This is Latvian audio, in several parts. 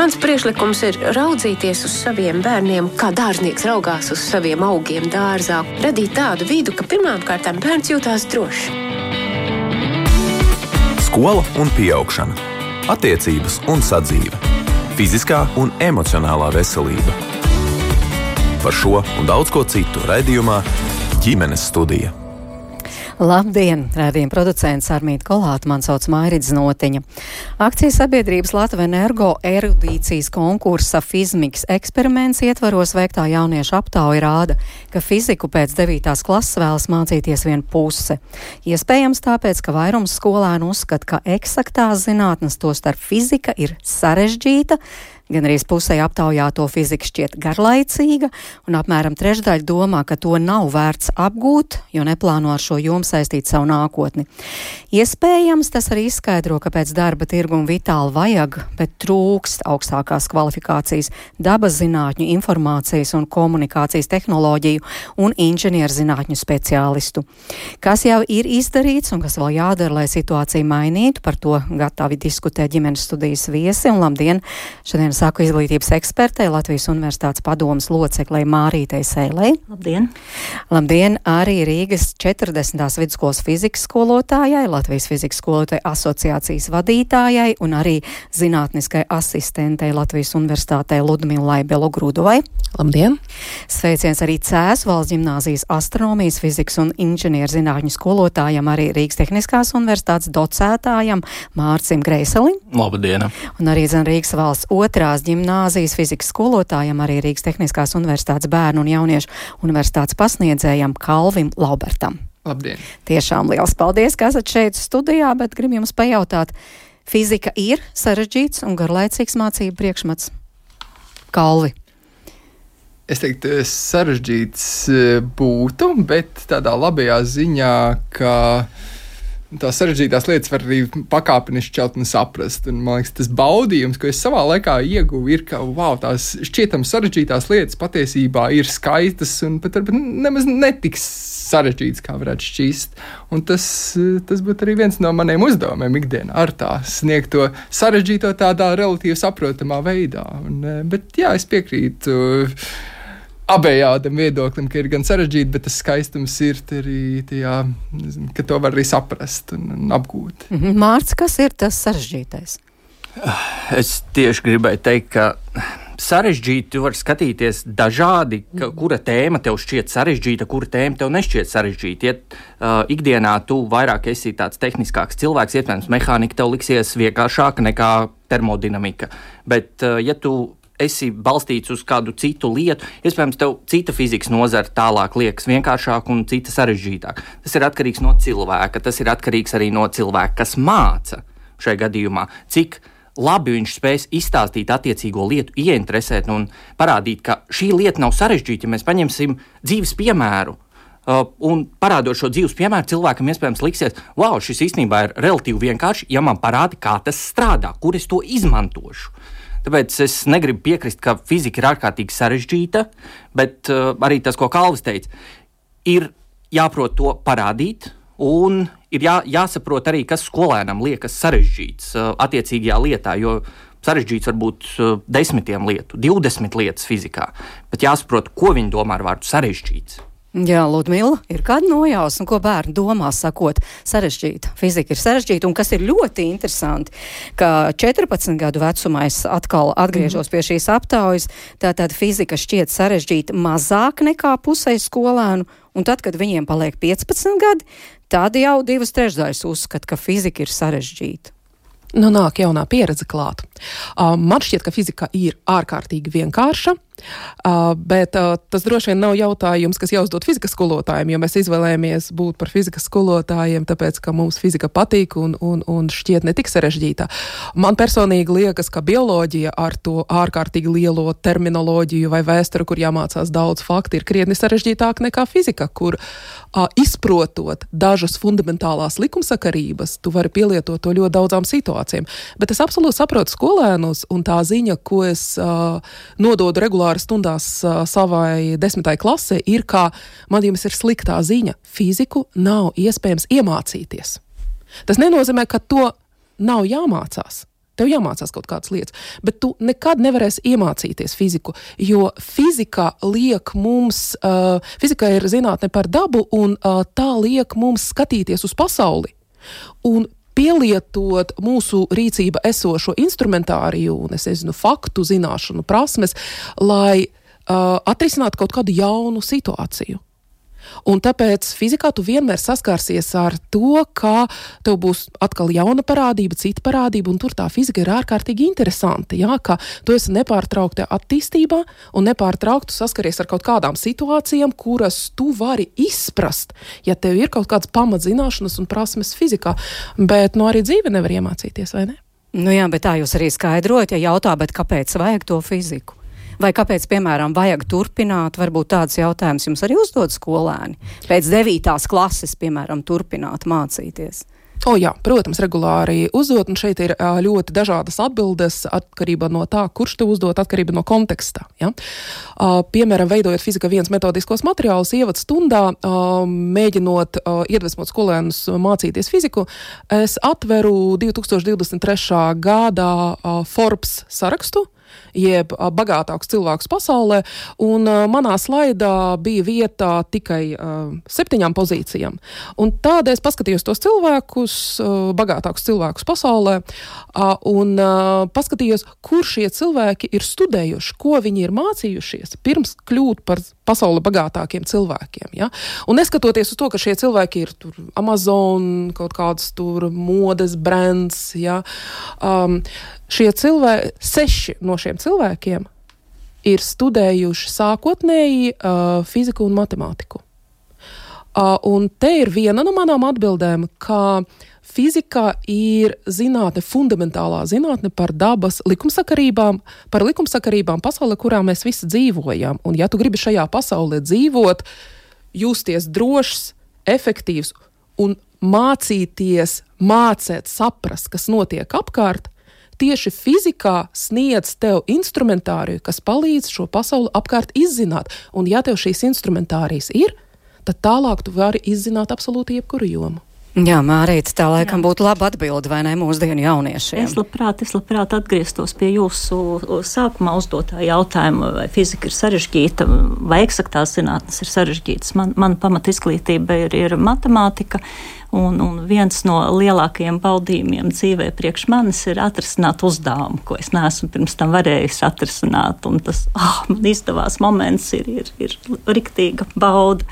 Mans priekšlikums ir raudzīties uz saviem bērniem, kā dārznieks raugās uz saviem augiem dārzā. Radīt tādu vidu, ka pirmām kārtām bērns jūtās droši. Skola un pieaugšana. Attiecības un sadzīve. Fiziskā un emocionālā veselība. Par šo un daudz ko citu raidījumā Ģimenes studija. Labdien! Raidījuma producents Armīta Kolāta, man sauc Mairits Notiņa. Akcijas sabiedrības Latva Energo erudīcijas konkursa Fizmiks eksperiments ietvaros veiktā jauniešu aptauja rāda, ka fiziku pēc 9. klases vēlas mācīties vien puse. Iespējams tāpēc, ka vairums skolēnu uzskata, ka eksaktās zinātnes, tostarp fizika, ir sarežģīta, gan arī pusē aptaujāto fizika šķiet garlaicīga, un apmēram trešdaļa domā, ka to nav vērts apgūt, jo neplāno ar šo jomu saistīt savu nākotni. Iespējams, tas arī izskaidro, ka pēc darba tirguma vitāli vajag, bet trūkst augstākās kvalifikācijas dabas zinātņu, informācijas un komunikācijas tehnoloģiju un inženierzinātņu speciālistu. Kas jau ir izdarīts un kas vēl jādara, lai situāciju mainītu, par to gatavi diskutē ģimenes studijas viesi, un labdien! Šodien saku izglītības ekspertei, Latvijas Universitātes padomes loceklei Mārītei Sēlei. Labdien! Labdien arī Rīgas 40. vidusskolas fizikas skolotājai, Latvijas fizikas skolotāju asociācijas vadītājai un arī zinātniskai asistentei Latvijas Universitātei Ludmilai Belogrudovai. Labdien! Sveiciens arī Cēsu valsts ģimnāzijas astronomijas, fizikas un inženierzinātņu skolotājam, arī Rīgas Tehniskās universitātes docētājam Mārcim Greiselim. Labdien! Un arī Rīgas valsts otrās ģimnāzijas fizikas skolotājam, arī Rīgas Tehniskās universitātes bērnu un jauniešu universitātes pasniedzējam Kalvim Laubertam. Labdien! Tiešām liels paldies, ka esat šeit studijā, bet gribu jums pajautāt, fizika ir sarežģīts un garlaicīgs mācību priekšmets? Kalvi. Es teiktu, sarežģīts būtu, bet tādā labajā ziņā, ka tās sarežģītās lietas var arī pakāpeniski šķelt un saprast. Un, man liekas, tas baudījums, ko es savā laikā ieguvu, ir, ka tās šķietam sarežģītās lietas patiesībā ir skaistas un pat nemaz netiks sarežģītas, kā varētu šķist. Un tas būtu arī viens no maniem uzdevumiem ikdienā, ar tā sniegt to sarežģīto tādā relatīvi saprotamā veidā. Bet jā, es piekrītu abējādam viedoklim, ka ir gan sarežģīti, bet tas skaistums ir arī tajā, ka to var arī saprast un apgūt. Mārts, kas ir tas sarežģītais? Es tieši gribēju teikt, ka sarežģīti var skatīties dažādi, kura tēma tev šķiet sarežģīta, kura tēma tev nešķiet sarežģīta. Ja ikdienā tu vairāk esi tāds tehniskāks cilvēks, iespējams, mehānika tev liksies vienkāršāka nekā termodinamika. Bet, ja tu esi balstīts uz kādu citu lietu, iespējams, tev cita fizikas nozara tālāk liekas vienkāršāk un cita sarežģītāk. Tas ir atkarīgs no cilvēka, tas ir atkarīgs arī no cilvēka, kas māca šajā gadījumā, cik labi viņš spēs izstāstīt attiecīgo lietu, ieinteresēt un parādīt, ka šī lieta nav sarežģīta. Ja mēs paņemsim dzīves piemēru un parādot šo dzīves piemēru, cilvēkam iespējams liksies, wow, šis īstenībā ir relatīvi vienkārši, ja man parāda, kā tas strādā, kur es to izmantošu. Tāpēc es negribu piekrist, ka fizika ir ārkārtīgi sarežģīta, bet arī tas, ko Kalvis teica, ir jāprot to parādīt un ir jāsaprot arī, kas skolēnam liekas sarežģīts attiecīgajā lietā, jo sarežģīts var būt 10 lietu, 20 lietas fizikā, bet jāsaprot, ko viņi domā ar vārdu sarežģīts. Jā, Ludmila, ir kāda nojausma, ko bērni domā, sakot, sarežģīta. Fizika ir sarežģīta, un kas ir ļoti interesanti, ka 14 gadu vecumā es atkal atgriežos pie šīs aptaujas, tātad fizika šķiet sarežģīta mazāk nekā pusē skolēnu, un tad, kad viņiem paliek 15 gadi, tad jau 2/3 uzskata, ka fizika ir sarežģīta. Nu, nāk jaunā pieredze klāt. Man šķiet, ka fizika ir ārkārtīgi vienkārša, bet tas droši vien nav jautājums, kas jāuzdod fizikas skolotājiem, jo mēs izvēlējamies būt par fizikas skolotājiem, tāpēc, ka mums fizika patīk un šķiet netik sarežģītā. Man personīgi liekas, ka bioloģija ar to ārkārtīgi lielo terminoloģiju vai vēsturi, kur jāmācās daudz faktu, ir krietni sarežģītāk nekā fizika, kur izprotot dažas fundamentālās likumsakarības, tu vari pielietot to ļoti daudzām situācijām. Bet es absolūti saprotu skolēnus, un tā ziņa, ko es nododu regulāri stundās savai 10. klasē, ir, ka man jums ir sliktā ziņa. Fiziku nav iespējams iemācīties. Tas nenozīmē, ka to nav jāmācās. Tev jāmācās kaut kādas lietas, bet tu nekad nevarēsi iemācīties fiziku, jo fizika liek mums, fizika ir zinātne par dabu, un tā liek mums skatīties uz pasauli un pielietot mūsu rīcība esošo instrumentāriju un, faktu zināšanu, prasmes, lai atrisinātu kaut kādu jaunu situāciju. Un tāpēc fizikā tu vienmēr saskārsies ar to, ka tev būs atkal jauna parādība, cita parādība, un tur tā fizika ir ārkārtīgi interesanti, jā, ka tu esi nepārtraukti attīstībā un nepārtraukti saskaries ar kaut kādām situācijām, kuras tu vari izprast, ja tev ir kaut kādas pamatzināšanas un prasmes fizikā, bet arī dzīve nevar iemācīties, vai ne? Nu jā, bet tā jūs arī skaidrojat, ja jautā, bet kāpēc vajag to fiziku? Vai kāpēc, piemēram, vajag turpināt, varbūt tāds jautājums jums arī uzdod skolēni, pēc 9. klases, piemēram, turpināt mācīties? Jā, protams, regulāri uzdot, un šeit ir ļoti dažādas atbildes atkarībā no tā, kurš te uzdot, atkarībā no kontekstā. Ja? Piemēram, veidojot fizika 1 metodiskos materiālus ievads stundā, mēģinot iedvesmot skolēnus mācīties fiziku, es atveru 2023. gadā Forbes sarakstu, jeb bagātākus cilvēkus pasaulē, un manā slaidā bija vieta tikai 7 pozīcijām. Un tādēļ es paskatījos tos cilvēkus, bagātākus cilvēkus pasaulē, un paskatījos, kur šie cilvēki ir studējuši, ko viņi ir mācījušies, pirms kļūt par pasauli bagātākiem cilvēkiem. Ja? Un neskatoties uz to, ka šie cilvēki ir tur Amazon, kaut kāds tur modes brands, ja? Šie cilvēki, 6 no šiem cilvēkiem ir studējuši sākotnēji fiziku un matemātiku. Un te ir viena no manām atbildēm, ka fizika ir zinātne, fundamentālā zinātne par dabas likumsakarībām, par likumsakarībām pasaulē, kurā mēs visi dzīvojam. Un ja tu gribi šajā pasaulē dzīvot, justies drošs, efektīvs un mācīties, mācēt, saprast, kas notiek apkārt, tieši fizikā sniedz tev instrumentāriju, kas palīdz šo pasauli apkārt izzināt. Un ja tev šīs instrumentārijas ir, tad tālāk tu vari izzināt absolūti jebkuru jomu. Jā, Mārīte, tā laikam būtu laba atbilde, vai ne, mūsdienu jauniešiem? Es labprāt atgrieztos pie jūsu sākumā uzdotā jautājuma, vai fizika ir sarežģīta, vai eksaktās zinātnes ir sarežģītas. Man pamat izglītība ir matemātika, un viens no lielākajiem baudījumiem dzīvē priekš manis ir atrisināt uzdevumu, ko es neesmu pirms tam varējis atrisināt, un tas, man izdevās moments ir riktīga bauda.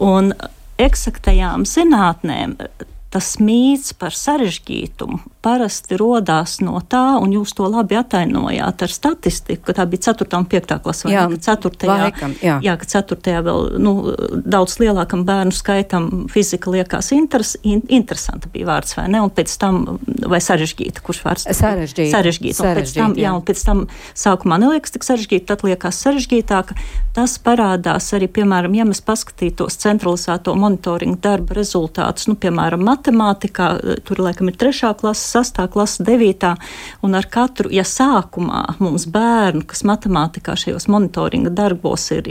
Un eksaktajām zinātnēm tas mīts par sarežģītumu parasti rodās no tā, un jūs to labi atainojāt ar statistiku, ka tā bija 4. un 5. klase, vai ne? Ka 4. vēl daudz lielākam bērnu skaitam fizika liekas interesanta bija vārds, vai ne? Un pēc tam, vai sarežģīta, kurš vārds? Sarežģīta. Un pēc tam sākumā neliekas tik sarežģīta, tad liekas sarežģītāka. Tas parādās arī, piemēram, ja mēs paskatītos centralizēto monitoringu darba rezultātus, piemēram, matemātikā, tur laikam ir 3. klase, 6. klase, 9. un ar katru, ja sākumā mums bērnu, kas matemātikā šajos monitoringa darbos ir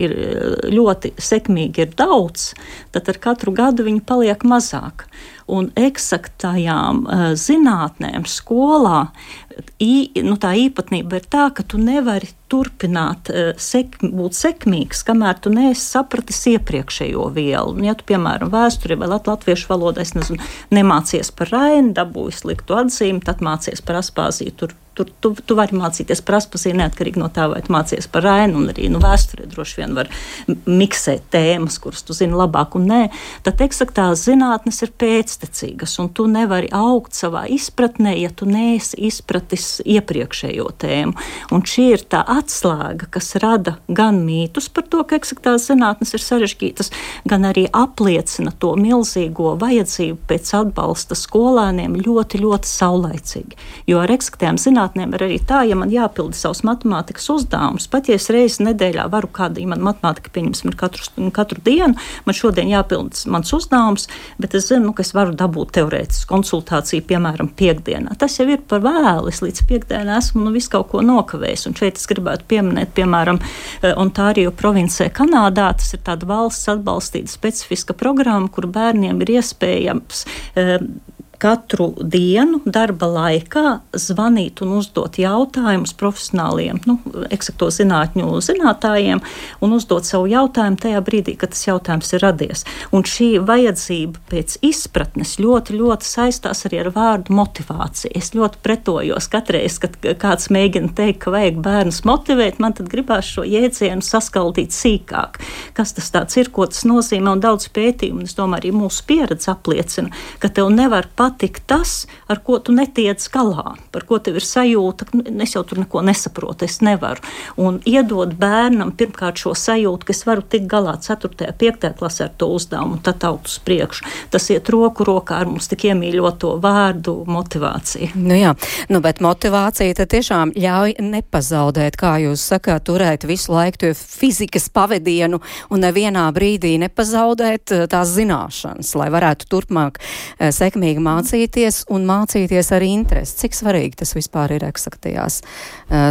ļoti sekmīgi ir daudz, tad ar katru gadu viņi paliek mazāk. Un eksaktajām zinātnēm skolā tā īpatnība ir tā, ka tu nevari turpināt būt sekmīgs, kamēr tu neesi sapratis iepriekšējo vielu. Un, ja tu, piemēram, vēsturē vai latviešu valodā, nemācies par Raini, dabūji sliktu atzīmi, tad mācies par Aspāziju. Tu vari mācīties par Aspāziju neatkarīgi no tā, vai tu mācies par Raini, un arī vēsturē droši vien var miksēt tēmas, kuras tu zini labāk un nē. Tad eksaktās zinātnes ir pēctecīgas, un tu nevari augt savā izpratnē, ja tu neesi izpratis iepriekšējo tēmu. Un šī ir tā atslēga, kas rada gan mītus par to, ka eksaktās zinātnes ir sarežģītas, gan arī apliecina to milzīgo vajadzību pēc atbalsta skolēniem ļoti, ļoti saulaicīgi. Jo ar eksaktām zinātnēm ir arī tā, ja man jāpilda savus matemātikas uzdevumus, pat ja es reizes nedēļā varu kādu, ja man matemātika pieņemsim ir katru dienu, man šodien jāpilda mans uzdevums, bet es zinu, ka es varu dabūt teorētisku konsultāciju, piemēram, piekdienā. Tas jau ir par vēlu, es līdz piekdienā esmu visu kaut ko nokavējis, un šeit es gribētu pieminēt, piemēram, Ontārio provincē Kanādā, tas ir tāda valsts atbalstīta specifiska programma, kur bērniem ir iespējams katru dienu darba laikā zvanīt un uzdot jautājumus profesionāliem, eksakto zinātņu zinātājiem un uzdot savu jautājumu tajā brīdī, kad tas jautājums ir radies. Un šī vajadzība pēc izpratnes ļoti, ļoti saistās arī ar vārdu motivācija. Es ļoti pretojos katreiz, kad kāds mēģina teikt, ka vajag bērnus motivēt, man tad gribās šo jēdzienu saskaldīt sīkāk. Kas tas tāds ir, ko tas nozīmē, un daudz pētījumu, es domāju, arī mūsu pieredze apliecina, ka tev nevar patikt tas, ar ko tu netiec galā, par ko tev ir sajūta, es jau tur neko nesaprotu, es nevaru. Un iedod bērnam pirmkārt šo sajūtu, ka es varu tikt galā 4., 5. klasē ar to uzdevumu, un tad augt uz priekšu. Tas iet roku rokā ar mums tik iemīļoto vārdu motivācija. Bet motivācija tad tiešām ļauj nepazaudēt, kā jūs sakāt, turēt visu laiku to fizikas pavedienu un nevienā brīdī nepazaudēt tās zināšanas, lai varētu turpmāk sekmīgi mācīties un mācīties ar interesi. Cik svarīgi tas vispār ir eksaktajās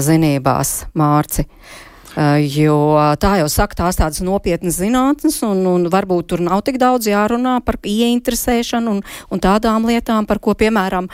zinībās, Mārci? Jo tā jau saka, tās tādas nopietnas zinātnes un varbūt tur nav tik daudz jārunā par ieinteresēšanu un tādām lietām, par ko, piemēram,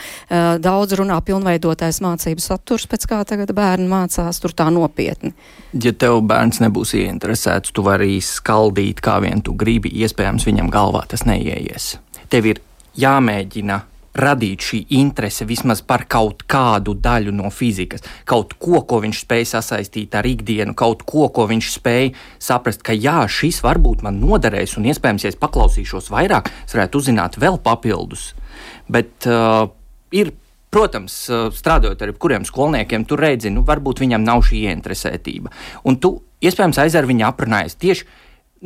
daudz runā pilnveidotais mācību saturs, pēc kā tagad bērni mācās tur tā nopietni. Ja tev bērns nebūs ieinteresēts, tu vari skaldīt, kā vien tu gribi, iespējams viņam galvā tas neieies. Tev ir jāmēģina radīt šī interese vismaz par kaut kādu daļu no fizikas, kaut ko viņš spēj sasaistīt ar ikdienu, kaut ko viņš spēj saprast, ka jā, šis varbūt man noderēs, un iespējams, ja es paklausīšos vairāk, es varētu uzzināt vēl papildus. Bet ir, protams, strādājot ar kuriem skolniekiem, tu redzi, varbūt viņam nav šī ieinteresētība. Un tu, iespējams, aiz ar viņu aprunājies tieši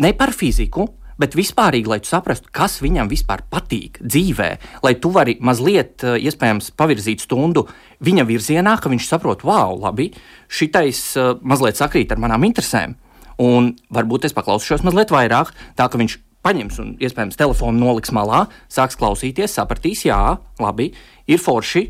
ne par fiziku, bet vispārīgi, lai tu saprastu, kas viņam vispār patīk dzīvē, lai tu vari mazliet, iespējams, pavirzīt stundu viņa virzienā, ka viņš saprot, labi, šitais mazliet sakrīt ar manām interesēm, un varbūt es paklausīšos mazliet vairāk, tā ka viņš paņems un, iespējams, telefonu noliks malā, sāks klausīties, sapratīs, jā, labi, ir forši,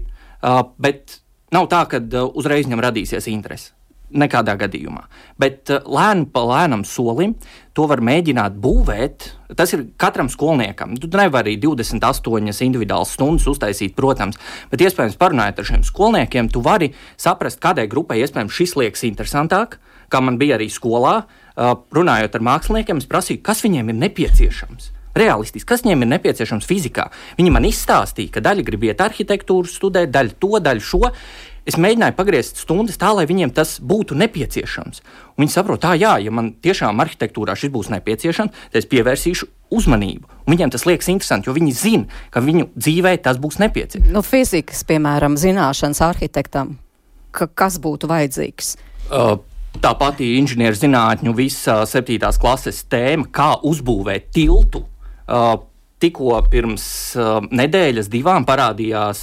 bet nav tā, ka uzreiz viņam radīsies interese. Nekādā gadījumā. Bet lēnu pa lēnam solim to var mēģināt būvēt. Tas ir katram skolniekam. Tu nevari 28 individuālas stundas uztaisīt, protams, bet iespējams parunājot ar šiem skolniekiem, tu vari saprast, kādai grupai iespējams šis liekas interesantāk, kā man bija arī skolā. Runājot ar māksliniekiem, es prasīju, kas viņiem ir nepieciešams. Realistiski, kas viņiem ir nepieciešams fizikā. Viņi man izstāstīja, ka daļa grib iet arhitektūru studēt, daļa to, daļa šo. Es mēģināju pagriezt stundas tā, lai viņiem tas būtu nepieciešams. Un viņi saprot, ja man tiešām arhitektūrā šis būs nepieciešams, tad es pievērsīšu uzmanību. Un viņiem tas liekas interesanti, jo viņi zina, ka viņu dzīvē tas būs nepieciešams. Fizikas, piemēram, zināšanas arhitektam, kas būtu vajadzīgs? Tā pati inženieru zinātņu visa 7. klases tēma, kā uzbūvēt tiltu. Tikko pirms nedēļas 2 parādījās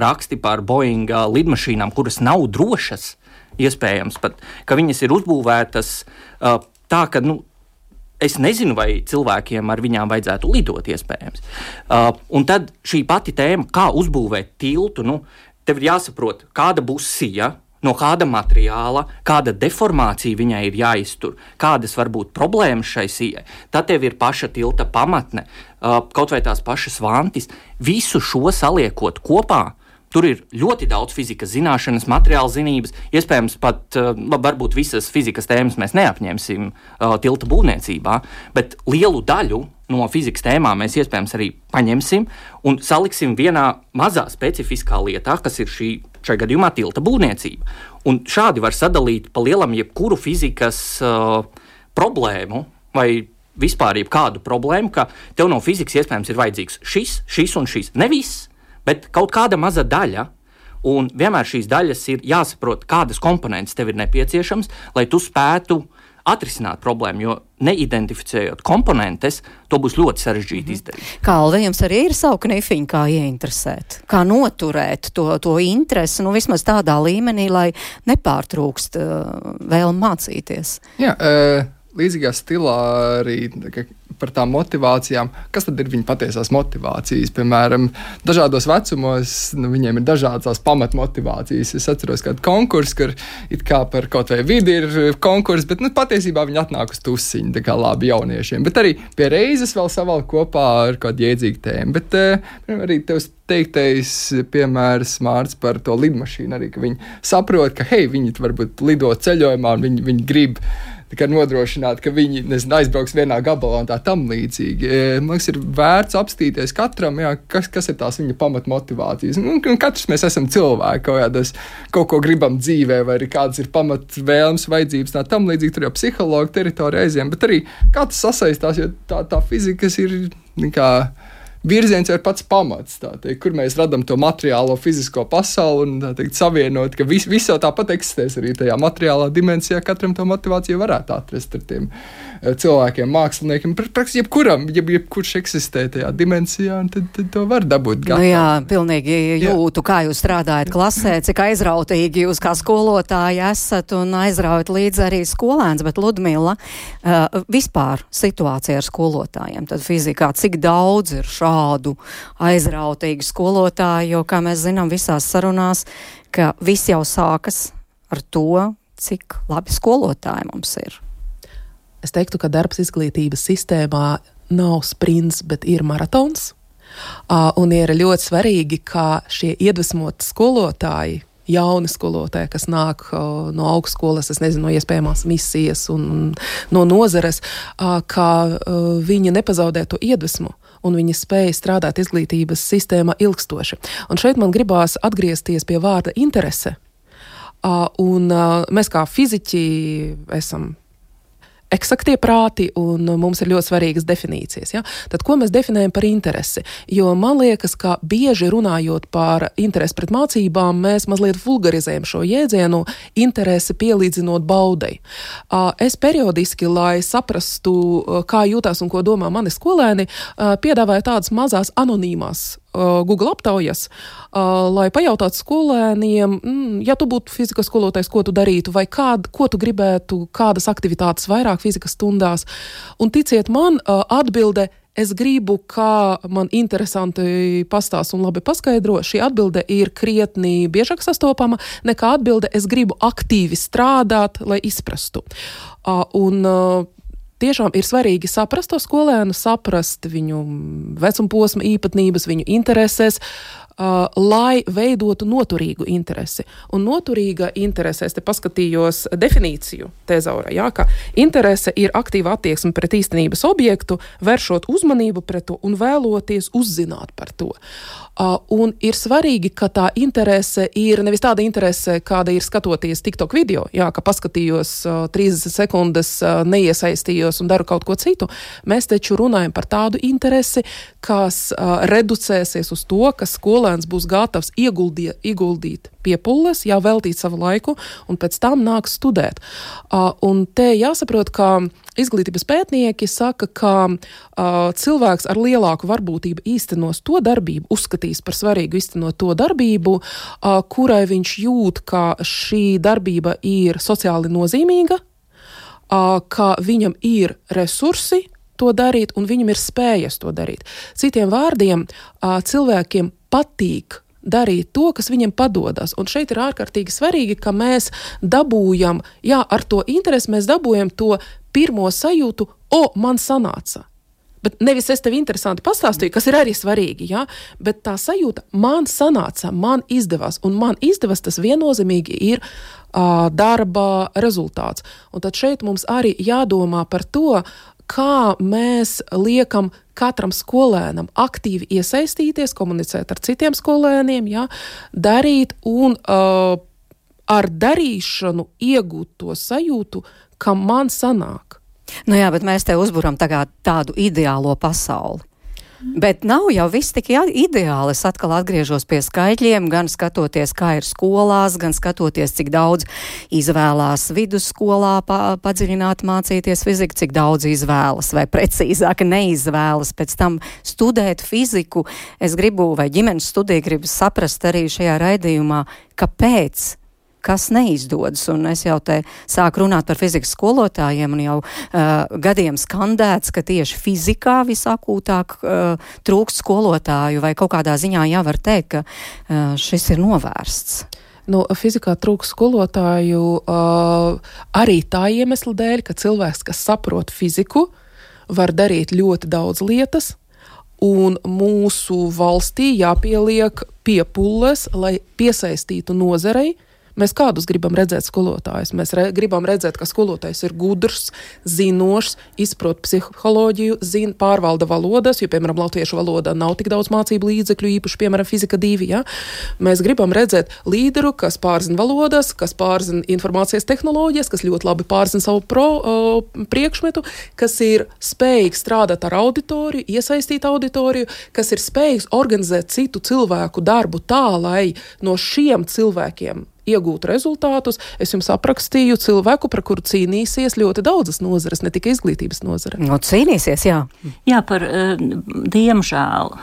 raksti par Boeinga lidmašīnām, kuras nav drošas, iespējams pat, ka viņas ir uzbūvētas tā, ka, es nezinu, vai cilvēkiem ar viņām vajadzētu lidot, iespējams. Un tad šī pati tēma, kā uzbūvēt tiltu, tev ir jāsaprot, kāda būs sija, no kāda materiāla, kāda deformācija viņai ir jāiztur, kādas var būt problēmas šai sijai. Tad tev ir paša tilta pamatne, kaut vai tās pašas vantis. Visu šo saliekot kopā, tur ir ļoti daudz fizikas zināšanas, materiāla zinības, iespējams pat, varbūt visas fizikas tēmas mēs neapņemsim tilta būvniecībā, bet lielu daļu no fizikas tēmām mēs iespējams arī paņemsim un saliksim vienā mazā specifiskā lietā, kas ir šai gadījumā tilta būvniecība. Un šādi var sadalīt pa lielam jebkuru fizikas problēmu vai vispār jebkādu problēmu, ka tev no fizikas iespējams ir vajadzīgs šis un šis. Ne viss, bet kaut kāda maza daļa. Un vienmēr šīs daļas ir jāsaprot, kādas komponentes tev ir nepieciešams, lai tu spētu atrisināt problēmu, jo neidentificējot komponentes, to būs ļoti sarežģīti izdarīt. Kalve, jums arī ir savu knifiņu, kā ieinteresēt, kā noturēt to interesi, vismaz tādā līmenī, lai nepārtrūkst vēlme mācīties. Jā, līdzīgā stilā arī par tām motivācijām. Kas tad ir viņa patiesās motivācijas? Piemēram, dažādos vecumos viņiem ir dažādas pamatmotivācijas. Es atceros kādu konkursu, kur it kā par kaut vai vidi ir konkurss, bet patiesībā viņi atnāk uz tusiņu, tā kā labi jauniešiem. Bet arī pie reizes vēl savalk kopā ar kādu jēdzīgu tēmu. Bet arī tevs teiktais piemērs Mārts par to lidmašīnu arī, ka viņi saprot, ka viņi varbūt lido ceļojumā un viņi grib nodrošināt, ka viņi aizbrauks vienā gabalā un tā tam līdzīgi. Man liekas, ir vērts apstīties katram, kas ir tās viņa pamatmotivācijas. Katrs mēs esam cilvēki, kaut ko gribam dzīvē, vai arī kādas ir pamatvēlmes, vajadzības, tā tam līdzīgi, tur jau psihologa teritorija aiziem, bet arī kā tas sasaistās, jo tā fizikas ir virziens jau ir pats pamats, kur mēs radam to materiālo fizisko pasauli un savienot, ka viss jau tāpat eksistēs arī tajā materiālā dimensijā, katram to motivāciju varētu atrast ar tiem cilvēkiem, māksliniekiem, praktiski jebkurš eksistē tajā dimensijā, un tad to var dabūt gatavu. Jā, pilnīgi jūtu, kā jūs strādājat klasē, cik aizrautīgi jūs kā skolotāji esat un aizraujat līdz arī skolēns, bet Ludmila, vispār situācija ar skolotājiem, tad fizikā, cik daudz ir šādu aizrautīgu skolotāju, jo, kā mēs zinām visās sarunās, ka viss jau sākas ar to, cik labi skolotāji mums ir. Es teiktu, ka darbs izglītības sistēmā nav sprints, bet ir maratons. Un ir ļoti svarīgi, ka šie iedvesmoti skolotāji, jauni skolotāji, kas nāk no augstskolas, es nezinu, no iespējamās misijas un no nozares, ka viņi nepazaudē to iedvesmu un viņi spēja strādāt izglītības sistēmā ilgstoši. Un šeit man gribās atgriezties pie vārda interese. Un mēs kā fiziķi esam eksaktie prāti, un mums ir ļoti svarīgas definīcijas. Ja? Tad, ko mēs definējam par interesi? Jo man liekas, ka bieži runājot par interesi pret mācībām, mēs mazliet vulgarizējam šo jēdzienu interesi pielīdzinot baudei. Es periodiski, lai saprastu, kā jūtās un ko domā mani skolēni, piedāvāju tādas mazās anonīmās Google aptaujas, lai pajautātu skolēniem, ja tu būtu fizikas skolotājs, ko tu darītu, vai ko tu gribētu, kādas aktivitātes vairāk fizikas stundās. Un ticiet man, atbilde, es gribu, kā man interesanti pastāst un labi paskaidro, šī atbilde ir krietni biežāk sastopama, nekā atbilde, es gribu aktīvi strādāt, lai izprastu. Tiešām ir svarīgi saprast to skolēnu, saprast viņu vecumposma īpatnības, viņu intereses, lai veidotu noturīgu interesi. Un noturīga interese, es te paskatījos definīciju tezaura, ka interese ir aktīva attieksme pret īstenības objektu, vēršot uzmanību pret to un vēloties uzzināt par to. Un ir svarīgi, ka tā interese ir nevis tāda interese, kāda ir skatoties TikTok video, ka paskatījos 30 sekundes, neiesaistījos un daru kaut ko citu. Mēs taču runājam par tādu interesi, kas reducēsies uz to, ka skolēns būs gatavs ieguldīt piepulles, veltīt savu laiku un pēc tam nāk studēt. Un te jāsaprot, ka izglītības pētnieki saka, ka cilvēks ar lielāku varbūtību īstenos to darbību, uzskatīs par svarīgu īstenot to darbību, kurai viņš jūt, ka šī darbība ir sociāli nozīmīga, ka viņam ir resursi to darīt un viņam ir spējas to darīt. Citiem vārdiem, cilvēkiem patīk darīt to, kas viņam padodas. Un šeit ir ārkārtīgi svarīgi, ka mēs dabūjam, ar to interesi mēs dabūjam to pirmo sajūtu, man sanāca. Bet nevis es tev interesanti pastāstīju, kas ir arī svarīgi, bet tā sajūta, man sanāca, man izdevās, un man izdevās tas viennozīmīgi ir darba rezultāts. Un tad šeit mums arī jādomā par to, kā mēs liekam katram skolēnam aktīvi iesaistīties, komunicēt ar citiem skolēniem, darīt un ar darīšanu iegūt to sajūtu, ka man sanāk. Bet mēs te uzburam tagad tādu ideālo pasauli. Bet nav jau viss tik ideāli. Es atkal atgriežos pie skaitļiem, gan skatoties, kā ir skolās, gan skatoties, cik daudz izvēlās vidusskolā padziļināt mācīties fiziku, cik daudz izvēlas, vai precīzāk neizvēlas pēc tam studēt fiziku. Es gribu, vai ģimenes studija gribu saprast arī šajā raidījumā, kāpēc kas neizdodas. Un es jau te sāku runāt par fizikas skolotājiem un jau gadiem skandēts, ka tieši fizikā visakūtāk trūkst skolotāju, vai kaut kādā ziņā jau var teikt, ka šis ir novērsts. Fizikā trūkst skolotāju arī tā iemesla dēļ, ka cilvēks, kas saprot fiziku, var darīt ļoti daudz lietas, un mūsu valstī jāpieliek piepulles, lai piesaistītu nozarei. Mēs kādus gribam redzēt skolotājus? Mēs gribam redzēt, ka skolotājs ir gudrs, zinošs, izprot psiholoģiju, zina, pārvalda valodas, jo, piemēram, latviešu valodā nav tik daudz mācību līdzekļu, īpaši, piemēram, fizika 2, ja? Mēs gribam redzēt līderu, kas pārzina valodas, kas pārzina informācijas tehnoloģijas, kas ļoti labi pārzina savu priekšmetu, kas ir spējīgs strādāt ar auditoriju, iesaistīt auditoriju, kas ir spējīgs organizēt citu cilvēku darbu tā, lai no šiem cilvēkiem iegūt rezultātus. Es jums aprakstīju cilvēku, par kuru cīnīsies ļoti daudzas nozares, ne tikai izglītības nozare. Cīnīsies, jā. Jā, diemžēl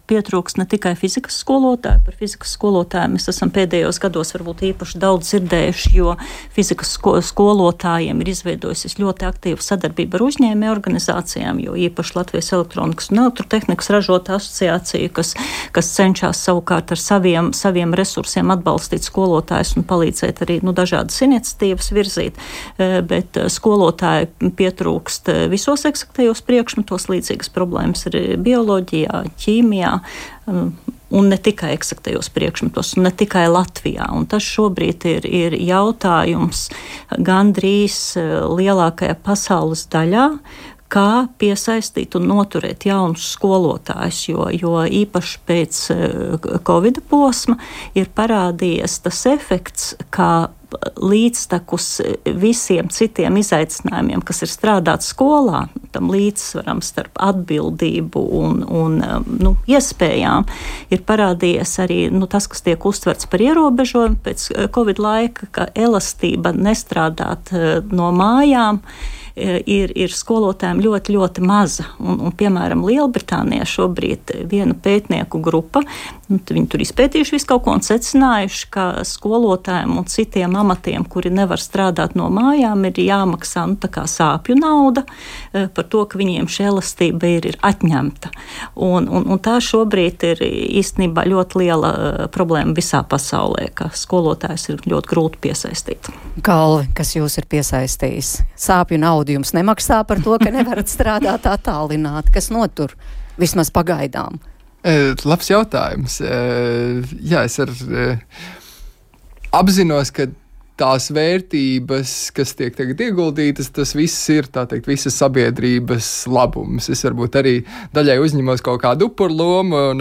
pietrūkst ne tikai fizikas skolotāju. Par fizikas skolotāju mēs esam pēdējos gados varbūt īpaši daudz dzirdējuši, jo fizikas skolotājiem ir izveidojusies ļoti aktīva sadarbība ar uzņēmēju organizācijām, jo īpaši Latvijas elektronikas un elektrotehnikas ražotāju asociācija, kas cenšas savukārt ar saviem resursiem atbalstīt skolotājus un palīdzēt arī dažādas iniciatīvas virzīt, bet skolotāji pietrūkst visos eksaktajos priekšmetos, līdzīgas problēmas ir bioloģijā, ķīmijā, un ne tikai eksaktajos priekšmetos, un ne tikai Latvijā. Un tas šobrīd ir jautājums gandrīz lielākajā pasaules daļā, kā piesaistīt un noturēt jaunus skolotājus, jo īpaši pēc Covid posma ir parādījies tas efekts, kā līdztekus visiem citiem izaicinājumiem, kas ir strādāt skolā, tam līdzsvaram starp atbildību un iespējām, ir parādījies arī tas, kas tiek uztverts par ierobežojumu pēc Covid laika, ka elastība nestrādāt no mājām ir skolotājiem ļoti, ļoti maza. Un piemēram, Lielbritānijā šobrīd viena pētnieku grupa, viņi tur izpētījuši visu kaut ko un secinājuši, ka skolotājiem un citiem amatiem, kuri nevar strādāt no mājām, ir jāmaksā tā kā sāpju nauda par to, ka viņiem šī elastība ir atņemta. Un tā šobrīd ir īstenībā ļoti liela problēma visā pasaulē, ka skolotājs ir ļoti grūti piesaistīt. Kalvi, kas jūs ir piesaistījis? Sāpju naudu jums nemaksā par to, ka nevarat strādāt attālināti, kas notur vismaz pagaidām? Labs jautājums. Jā, es apzinos, ka tās vērtības, kas tiek tagad ieguldītas, tas viss ir, tā teikt, visas sabiedrības labums. Es varbūt arī daļai uzņemos kaut kādu upurlomu un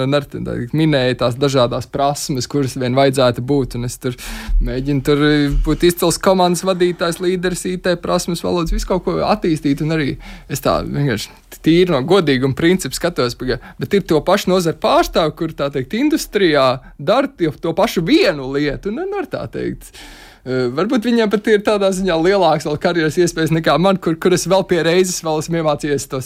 minēju tās dažādās prasmes, kuras vien vajadzētu būt, un es tur mēģinu būt izcils komandas vadītājs, līderis, IT prasmes, valodas, visu kaut ko attīstīt, un arī es tā vienkārši tīri no godīguma principu skatos, bet ir to pašu nozaru pārstāvi, kur, tā teikt, industrijā dara to pašu vienu lietu, un var tā teikt. Varbūt viņiem pat ir tādā ziņā lielāks vēl karjeras iespējas nekā man, kur es vēl pie reizes vēl esmu iemācījies to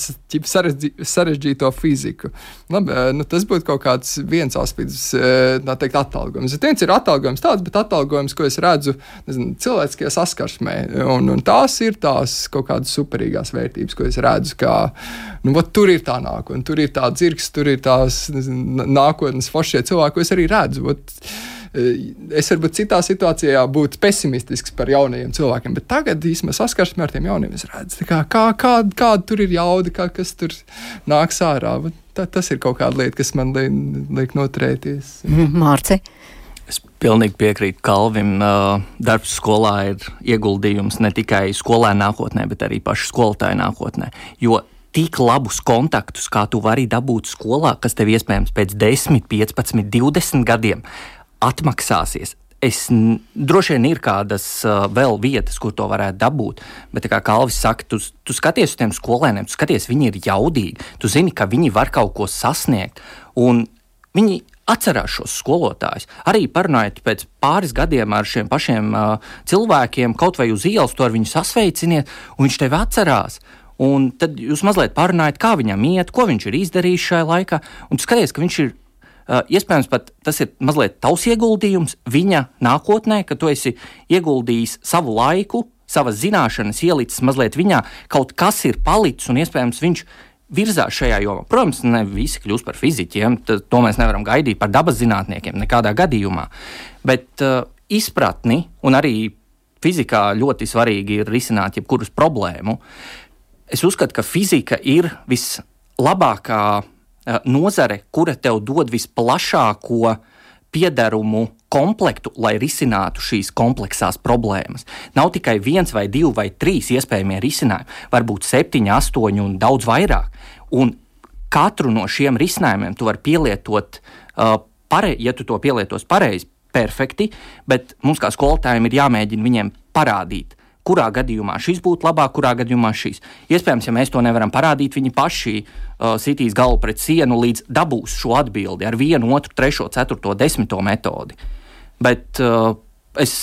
sarežģīto fiziku. Labi, tas būtu kaut kāds viens aspekts, tā teikt, atalgojums. Viens ir atalgojums tāds, bet atalgojums, ko es redzu cilvēciskajā saskarsmē, un tās ir tās kaut kādas superīgās vērtības, ko es redzu, kā, tur ir tā nākotne, tur ir tā dzirks, tur ir tās nākotnes foršie cilvēki, ko es arī redzu. Es varbūt citā situācijā būtu pesimistisks par jaunajiem cilvēkiem, bet tagad īstenībā saskarsmē ar tiem jauniem es redzu, kāda tur ir jauda, kas tur nāks ārā. Tas ir kaut kāda lieta, kas man liek noturēties. Mārci? Es pilnīgi piekrītu Kalvim. Darbs skolā ir ieguldījums ne tikai skolēnu nākotnē, bet arī pašu skolotāju nākotnē. Jo tik labus kontaktus, kā tu vari dabūt skolā, kas tev iespējams pēc 10, 15, 20 gadiem atmaksāsies. Droši vien ir kādas vēl vietas, kur to varētu dabūt, bet, kā Kalvis saka, tu skaties uz tiem skolēniem, tu skaties, viņi ir jaudīgi, tu zini, ka viņi var kaut ko sasniegt, un viņi atcerās šos skolotājus. Arī parunājot pēc pāris gadiem ar šiem pašiem cilvēkiem, kaut vai uz ielas, to ar viņu sasveiciniet, un viņš tevi atcerās. Un tad jūs mazliet parunājat, kā viņam iet, ko viņš ir izdarījis šajā laikā, un tu skaties, ka viņš ir iespējams pat tas ir mazliet tavs ieguldījums viņa nākotnē, ka tu esi ieguldījis savu laiku, savas zināšanas ielicis mazliet viņā, kaut kas ir palicis un iespējams viņš virzās šajā jomā. Protams, ne visi kļūst par fiziķiem, to mēs nevaram gaidīt par dabas zinātniekiem nekādā gadījumā, bet izpratni un arī fizikā ļoti svarīgi ir risināt jebkurus problēmu. Es uzskatu, ka fizika ir vislabākā nozare, kura tev dod visplašāko piederumu komplektu, lai risinātu šīs kompleksās problēmas. Nav tikai 1 vai 2 vai 3 iespējamie risinājumi, varbūt 7, 8 un daudz vairāk. Un katru no šiem risinājumiem tu vari pielietot, ja tu to pielietos pareizi, perfekti, bet mums kā skolotājiem ir jāmēģina viņiem parādīt, kurā gadījumā šis būtu labāk, kurā gadījumā šis. Iespējams, ja mēs to nevaram parādīt, viņi paši sitīs galvu pret sienu līdz dabūs šo atbildi ar 1, 2, 3, 4, 10 metodi. Bet es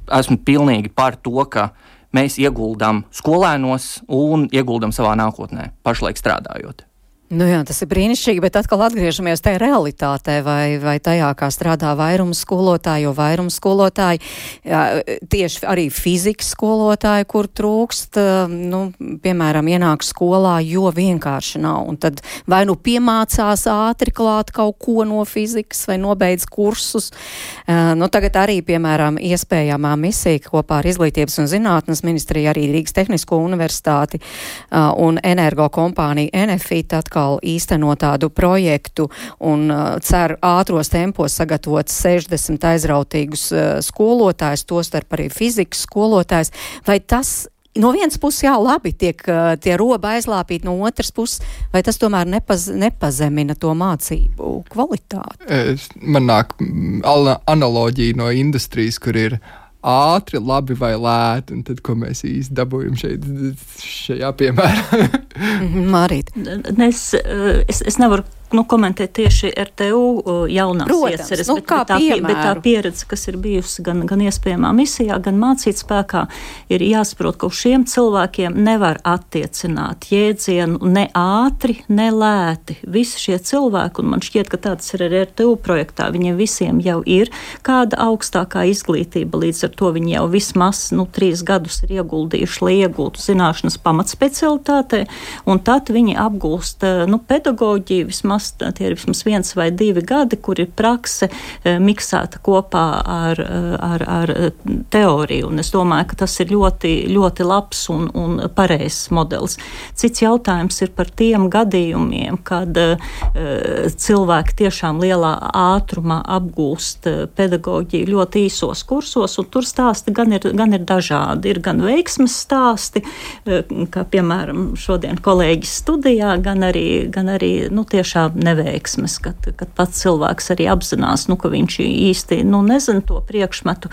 esmu pilnīgi par to, ka mēs ieguldam skolēnos un ieguldam savā nākotnē, pašlaik strādājot. Nu jā, tas ir brīnišķīgi, bet atkal atgriežamies tajā realitātē vai tajā, kā strādā vairums skolotāji, jo vairums skolotāji, tieši arī fizikas skolotāji, kur trūkst, piemēram, ienāk skolā, jo vienkārši nav. Un tad vai nu piemācās ātri klāt kaut ko no fizikas vai nobeidz kursus. Tagad arī, piemēram, iespējamā misija kopā ar Izglītības un zinātnes ministriju, arī Rīgas Tehnisko universitāti un energo kompāniju Enefit atkal īsteno tādu projektu un cer ātros tempos sagatavot 60 aizrautīgus skolotājus, tostarp arī fizikas skolotājus. Vai tas no vienas puses labi tiek tie robi aizlāpīt, no otras puses, vai tas tomēr nepazemina to mācību kvalitāti? Man nāk analoģija no industrijas, kur ir ātri, labi vai lēti, un tad, ko mēs īsti dabūjam šajā piemērā? Es nevaru komentēt tieši RTU jaunās ieceres, bet tā pieredze, kas ir bijusi gan iespējamā misijā, gan mācīt spēkā, ir jāsaprot, ka uz šiem cilvēkiem nevar attiecināt jēdzienu ne ātri, ne lēti. Visi šie cilvēki, un man šķiet, ka tāds ir arī RTU projektā, viņiem visiem jau ir kāda augstākā izglītība, līdz ar to viņi jau vismaz 3 gadus ir ieguldījuši, lai iegūtu zināšanas pamatspecialitātē, un tad viņi apgūst pedagoģiju vismaz tie ir vismaz 1 vai 2 gadi, kur ir prakse miksēta kopā ar teoriju. Un es domāju, ka tas ir ļoti, ļoti labs un pareizs modelis. Cits jautājums ir par tiem gadījumiem, kad cilvēki tiešām lielā ātrumā apgūst pedagoģiju ļoti īsos kursos, un tur stāsti gan ir dažādi. Ir gan veiksmes stāsti, kā piemēram šodien kolēģis studijā, gan arī tiešām neveiksmes, kad pats cilvēks arī apzinās, ka viņš īsti nezina to priekšmetu,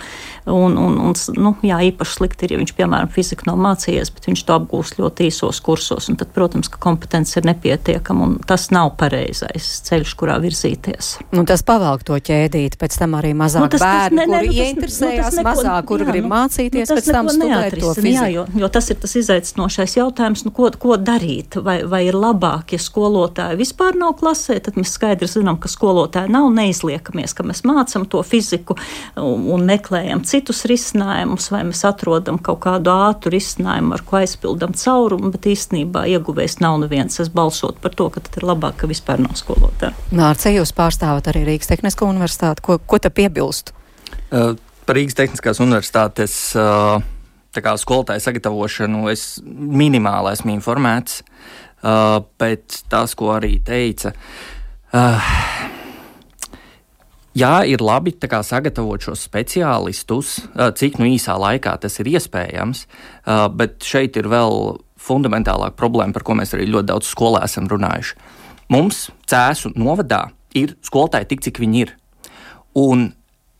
un īpaši slikti ir, ja viņš, piemēram, fiziku nav mācījies, bet viņš to apgūst ļoti īsos kursos, un tad, protams, ka kompetence ir nepietiekama, un tas nav pareizais ceļš, kurā virzīties. Tas pavelk to ķēdīt, pēc tam arī mazāk bērni, kuri ieinteresējās mazāk, kuri grib mācīties, pēc tam studēt to fiziku. Jo tas ir tas izaicinošais jautājums, ko darīt, vai ir labāk, ja skolotāji vispār nav klasē, tad mēs skaidri zinām, ka skolotāji nav, neizliekamies, ka mēs mācam to fiziku un meklējam citus risinājumus, vai mēs atrodam kaut kādu ātru risinājumu, ar ko aizpildam caurumu, bet īstenībā ieguvējs nav neviens. Es balsot par to, ka tad ir labāk, ka vispār nav skolotāji. Mārce, jūs pārstāvat arī Rīgas Tehnisko universitāti. Ko te piebilst? Par Rīgas Tehniskās universitātes skolotāju sagatavošanu es minimāli esmu informēts. Bet tas, ko arī teica, ir labi sagatavot šos speciālistus, cik īsā laikā tas ir iespējams, bet šeit ir vēl fundamentālāka problēma, par ko mēs arī ļoti daudz skolā esam runājuši. Mums Cēsu novadā ir skolotāji tik, cik viņi ir. Un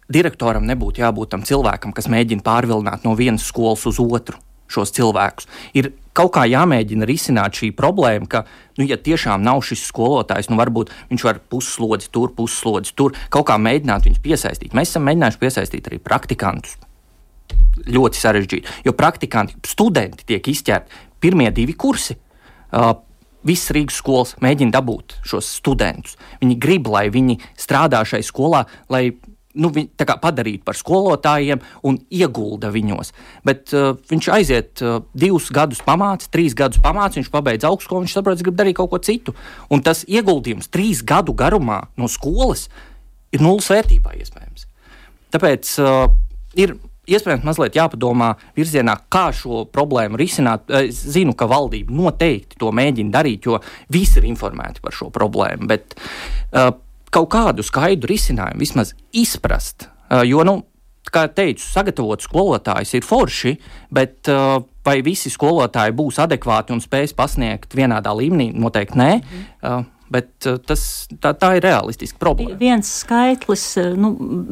direktoram nebūtu jābūt tam cilvēkam, kas mēģina pārvilināt no vienas skolas uz otru šos cilvēkus. Ir kaut kā jāmēģina risināt šī problēma, ka, ja tiešām nav šis skolotājs, varbūt viņš var pusslodzi tur, kaut kā mēģināt viņus piesaistīt. Mēs esam mēģinājuši piesaistīt arī praktikantus. Ļoti sarežģīti, jo studenti tiek izķerti pirmie 2 kursi. visas Rīgas skolas mēģina dabūt šos studentus. Viņi grib, lai viņi strādā šai skolā, lai tā kā padarītu par skolotājiem un iegulda viņos. Bet viņš aiziet 2 gadus pamāca, 3 gadus pamāca, viņš pabeidz augstskolu, viņš saprot, ka grib darīt kaut ko citu. Un tas ieguldījums 3 gadu garumā no skolas ir nulles vērtībā iespējams. Tāpēc ir iespējams mazliet jāpadomā virzienā, kā šo problēmu risināt. Es zinu, ka valdība noteikti to mēģina darīt, jo visi ir informēti par šo problēmu, bet kaut kādu skaidru risinājumu vismaz izprast, jo, kā teicu, sagatavot skolotājus ir forši, bet vai visi skolotāji būs adekvāti un spēs pasniegt vienādā līmenī, noteikti nē, bet tā ir realistiska problēma. Viens skaitlis,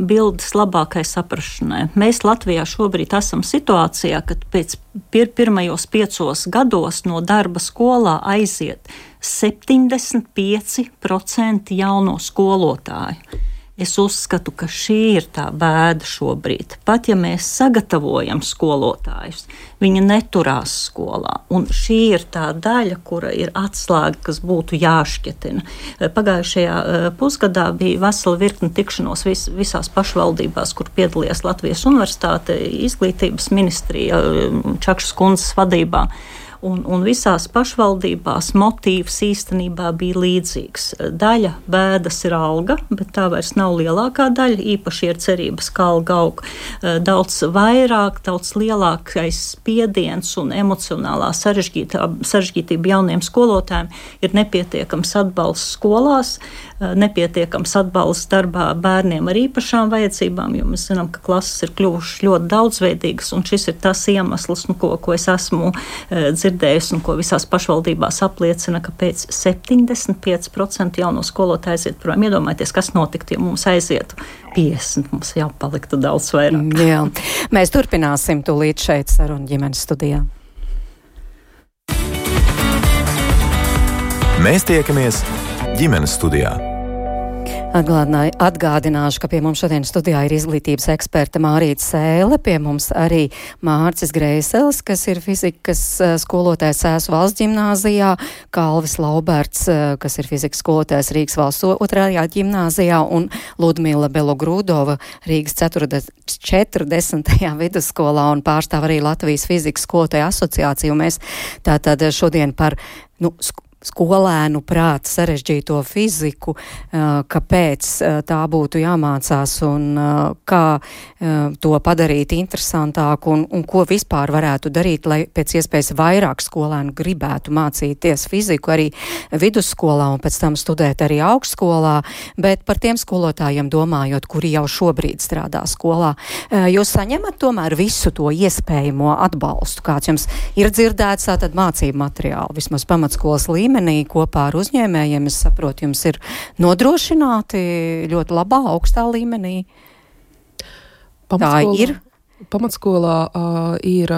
bildes labākai saprašanai. Mēs Latvijā šobrīd esam situācijā, kad pēc pirmajos 5 gados no darba skolā aiziet 75% jauno skolotāju. Es uzskatu, ka šī ir tā bēda šobrīd. Pat ja mēs sagatavojam skolotājus, viņi neturās skolā. Un šī ir tā daļa, kura ir atslēga, kas būtu jāšķetina. Pagājušajā pusgadā bija vesela virkne tikšanos visās pašvaldībās, kur piedalījās Latvijas Universitāte, izglītības ministrija Čakšas kundzes vadībā. Un visās pašvaldībās motīvs īstenībā bija līdzīgs. Daļa bēdas ir alga, bet tā vairs nav lielākā daļa, īpaši ir cerības, ka alga aug daudz vairāk, daudz lielākais spiediens un emocionālā sarežģītība jauniem skolotājiem ir nepietiekams atbalsts skolās, nepietiekams atbalsts darbā bērniem ar īpašām vajadzībām, jo mēs zinām, ka klases ir kļuvušas ļoti daudzveidīgas, un šis ir tas iemesls, ko es esmu dzirdējusi un ko visās pašvaldībās apliecina, ka pēc 75% jauno skolotāju aiziet prom. Iedomājieties, kas notiktu, ja mums aizietu 50, mums jau paliktu daudz vairāk. Jā, mēs turpināsim tūlīt šeit sarunu ģimenes studijā. Mēs tiekamies ģimenes studijā. Atgādināšu, ka pie mums šodien studijā ir izglītības eksperte Mārīta Sēle, pie mums arī Mārcis Greisels, kas ir fizikas skolotājs Cēsu valsts ģimnāzijā, Kalvis Lauberts, kas ir fizikas skolotājs Rīgas valsts 2. ģimnāzijā, un Ludmila Belogrūdova Rīgas 40. vidusskolā un pārstāv arī Latvijas fizikas skolotāju asociāciju. Mēs tātad šodien par skolēnu prāta sarežģīto fiziku, kāpēc tā būtu jāmācās un kā to padarīt interesantāku un ko vispār varētu darīt, lai pēc iespējas vairāk skolēnu gribētu mācīties fiziku arī vidusskolā un pēc tam studēt arī augstskolā, bet par tiem skolotājiem domājot, kuri jau šobrīd strādā skolā. Jūs saņemat tomēr visu to iespējamo atbalstu, kāds jums ir dzirdēts, tātad mācību materiāli, vismaz pamatskolas līmenī kopā ar uzņēmējiem, es saprotu, jums ir nodrošināti ļoti labā, augstā līmenī. Tā ir? Pamatskolā ir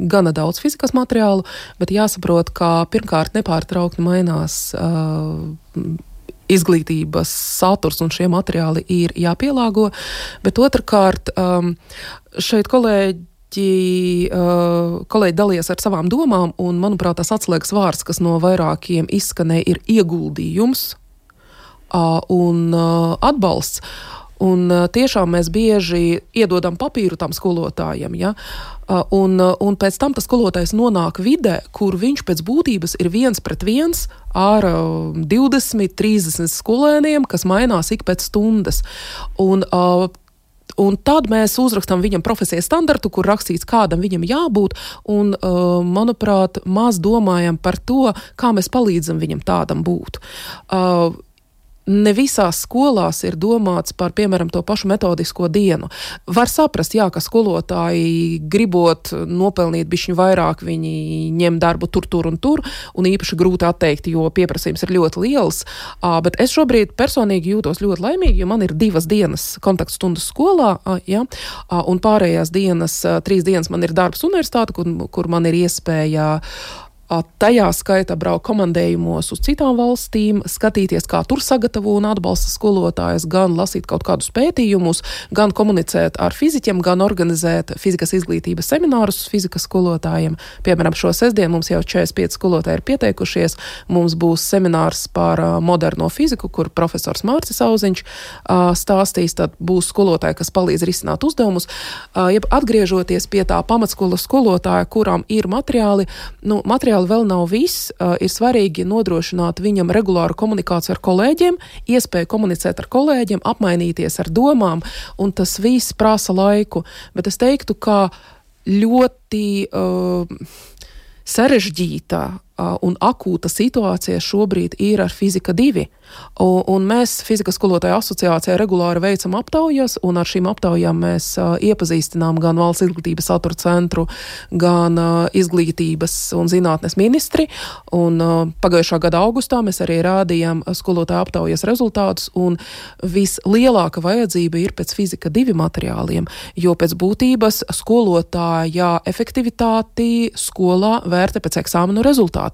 gana daudz fizikas materiālu, bet jāsaprot, ka pirmkārt nepārtraukti mainās izglītības saturs un šie materiāli ir jāpielāgo, bet otrkārt šeit kolēģi dalījās ar savām domām, un, manuprāt, tas atslēgas vārds, kas no vairākiem izskanēja, ir ieguldījums un atbalsts. Un tiešām mēs bieži iedodam papīru tam skolotājiem, ja? Un pēc tam tas skolotājs nonāk vidē, kur viņš pēc būtības ir 1-1 ar 20-30 skolēniem, kas mainās ik pēc stundas. Un tad mēs uzrakstam viņam profesijas standartu, kur rakstīts, kādam viņam jābūt, un, manuprāt, maz domājam par to, kā mēs palīdzam viņam tādam būt. Ne visās skolās ir domāts par, piemēram, to pašu metodisko dienu. Var saprast, jā, ka skolotāji gribot nopelnīt bišķiņu vairāk, viņi ņem darbu tur un īpaši grūti atteikt, jo pieprasījums ir ļoti liels. Bet es šobrīd personīgi jūtos ļoti laimīgi, jo man ir 2 dienas kontaktstundas skolā, ja, un pārējās dienas, 3 dienas man ir darbs universitāte, kur man ir iespēja Tajā skaitā braukt komandējumos uz citām valstīm, skatīties, kā tur sagatavo un atbalsta skolotājus, gan lasīt kaut kādus pētījumus, gan komunicēt ar fiziķiem, gan organizēt fizikas izglītības seminārus fizikas skolotājiem. Piemēram, šo sestdienu mums jau 45 skolotāji ir pieteikušies. Mums būs seminārs par moderno fiziku, kur profesors Mārcis Auziņš stāstīs, tad būs skolotāji, kas palīdz risināt uzdevumus. Atgriežoties pie tā pamatskolas skolotāja, kurām ir materiāli vēl nav viss, ir svarīgi nodrošināt viņam regulāru komunikāciju ar kolēģiem, iespēju komunicēt ar kolēģiem, apmainīties ar domām, un tas viss prasa laiku. Bet es teiktu, ka ļoti sarežģīta un akūta situācija šobrīd ir ar fizika 2. Un mēs fizikas skolotāju asociācijā regulāri veicam aptaujas, un ar šīm aptaujām mēs iepazīstinām gan Valsts izglītības satura centru, gan izglītības un zinātnes ministri. Un pagājušā gada augustā mēs arī rādījām skolotāju aptaujas rezultātus, un vislielāka vajadzība ir pēc fizika 2 materiāliem, jo pēc būtības skolotāja efektivitāti skolā vērtē pēc eksāmenu rezultātiem.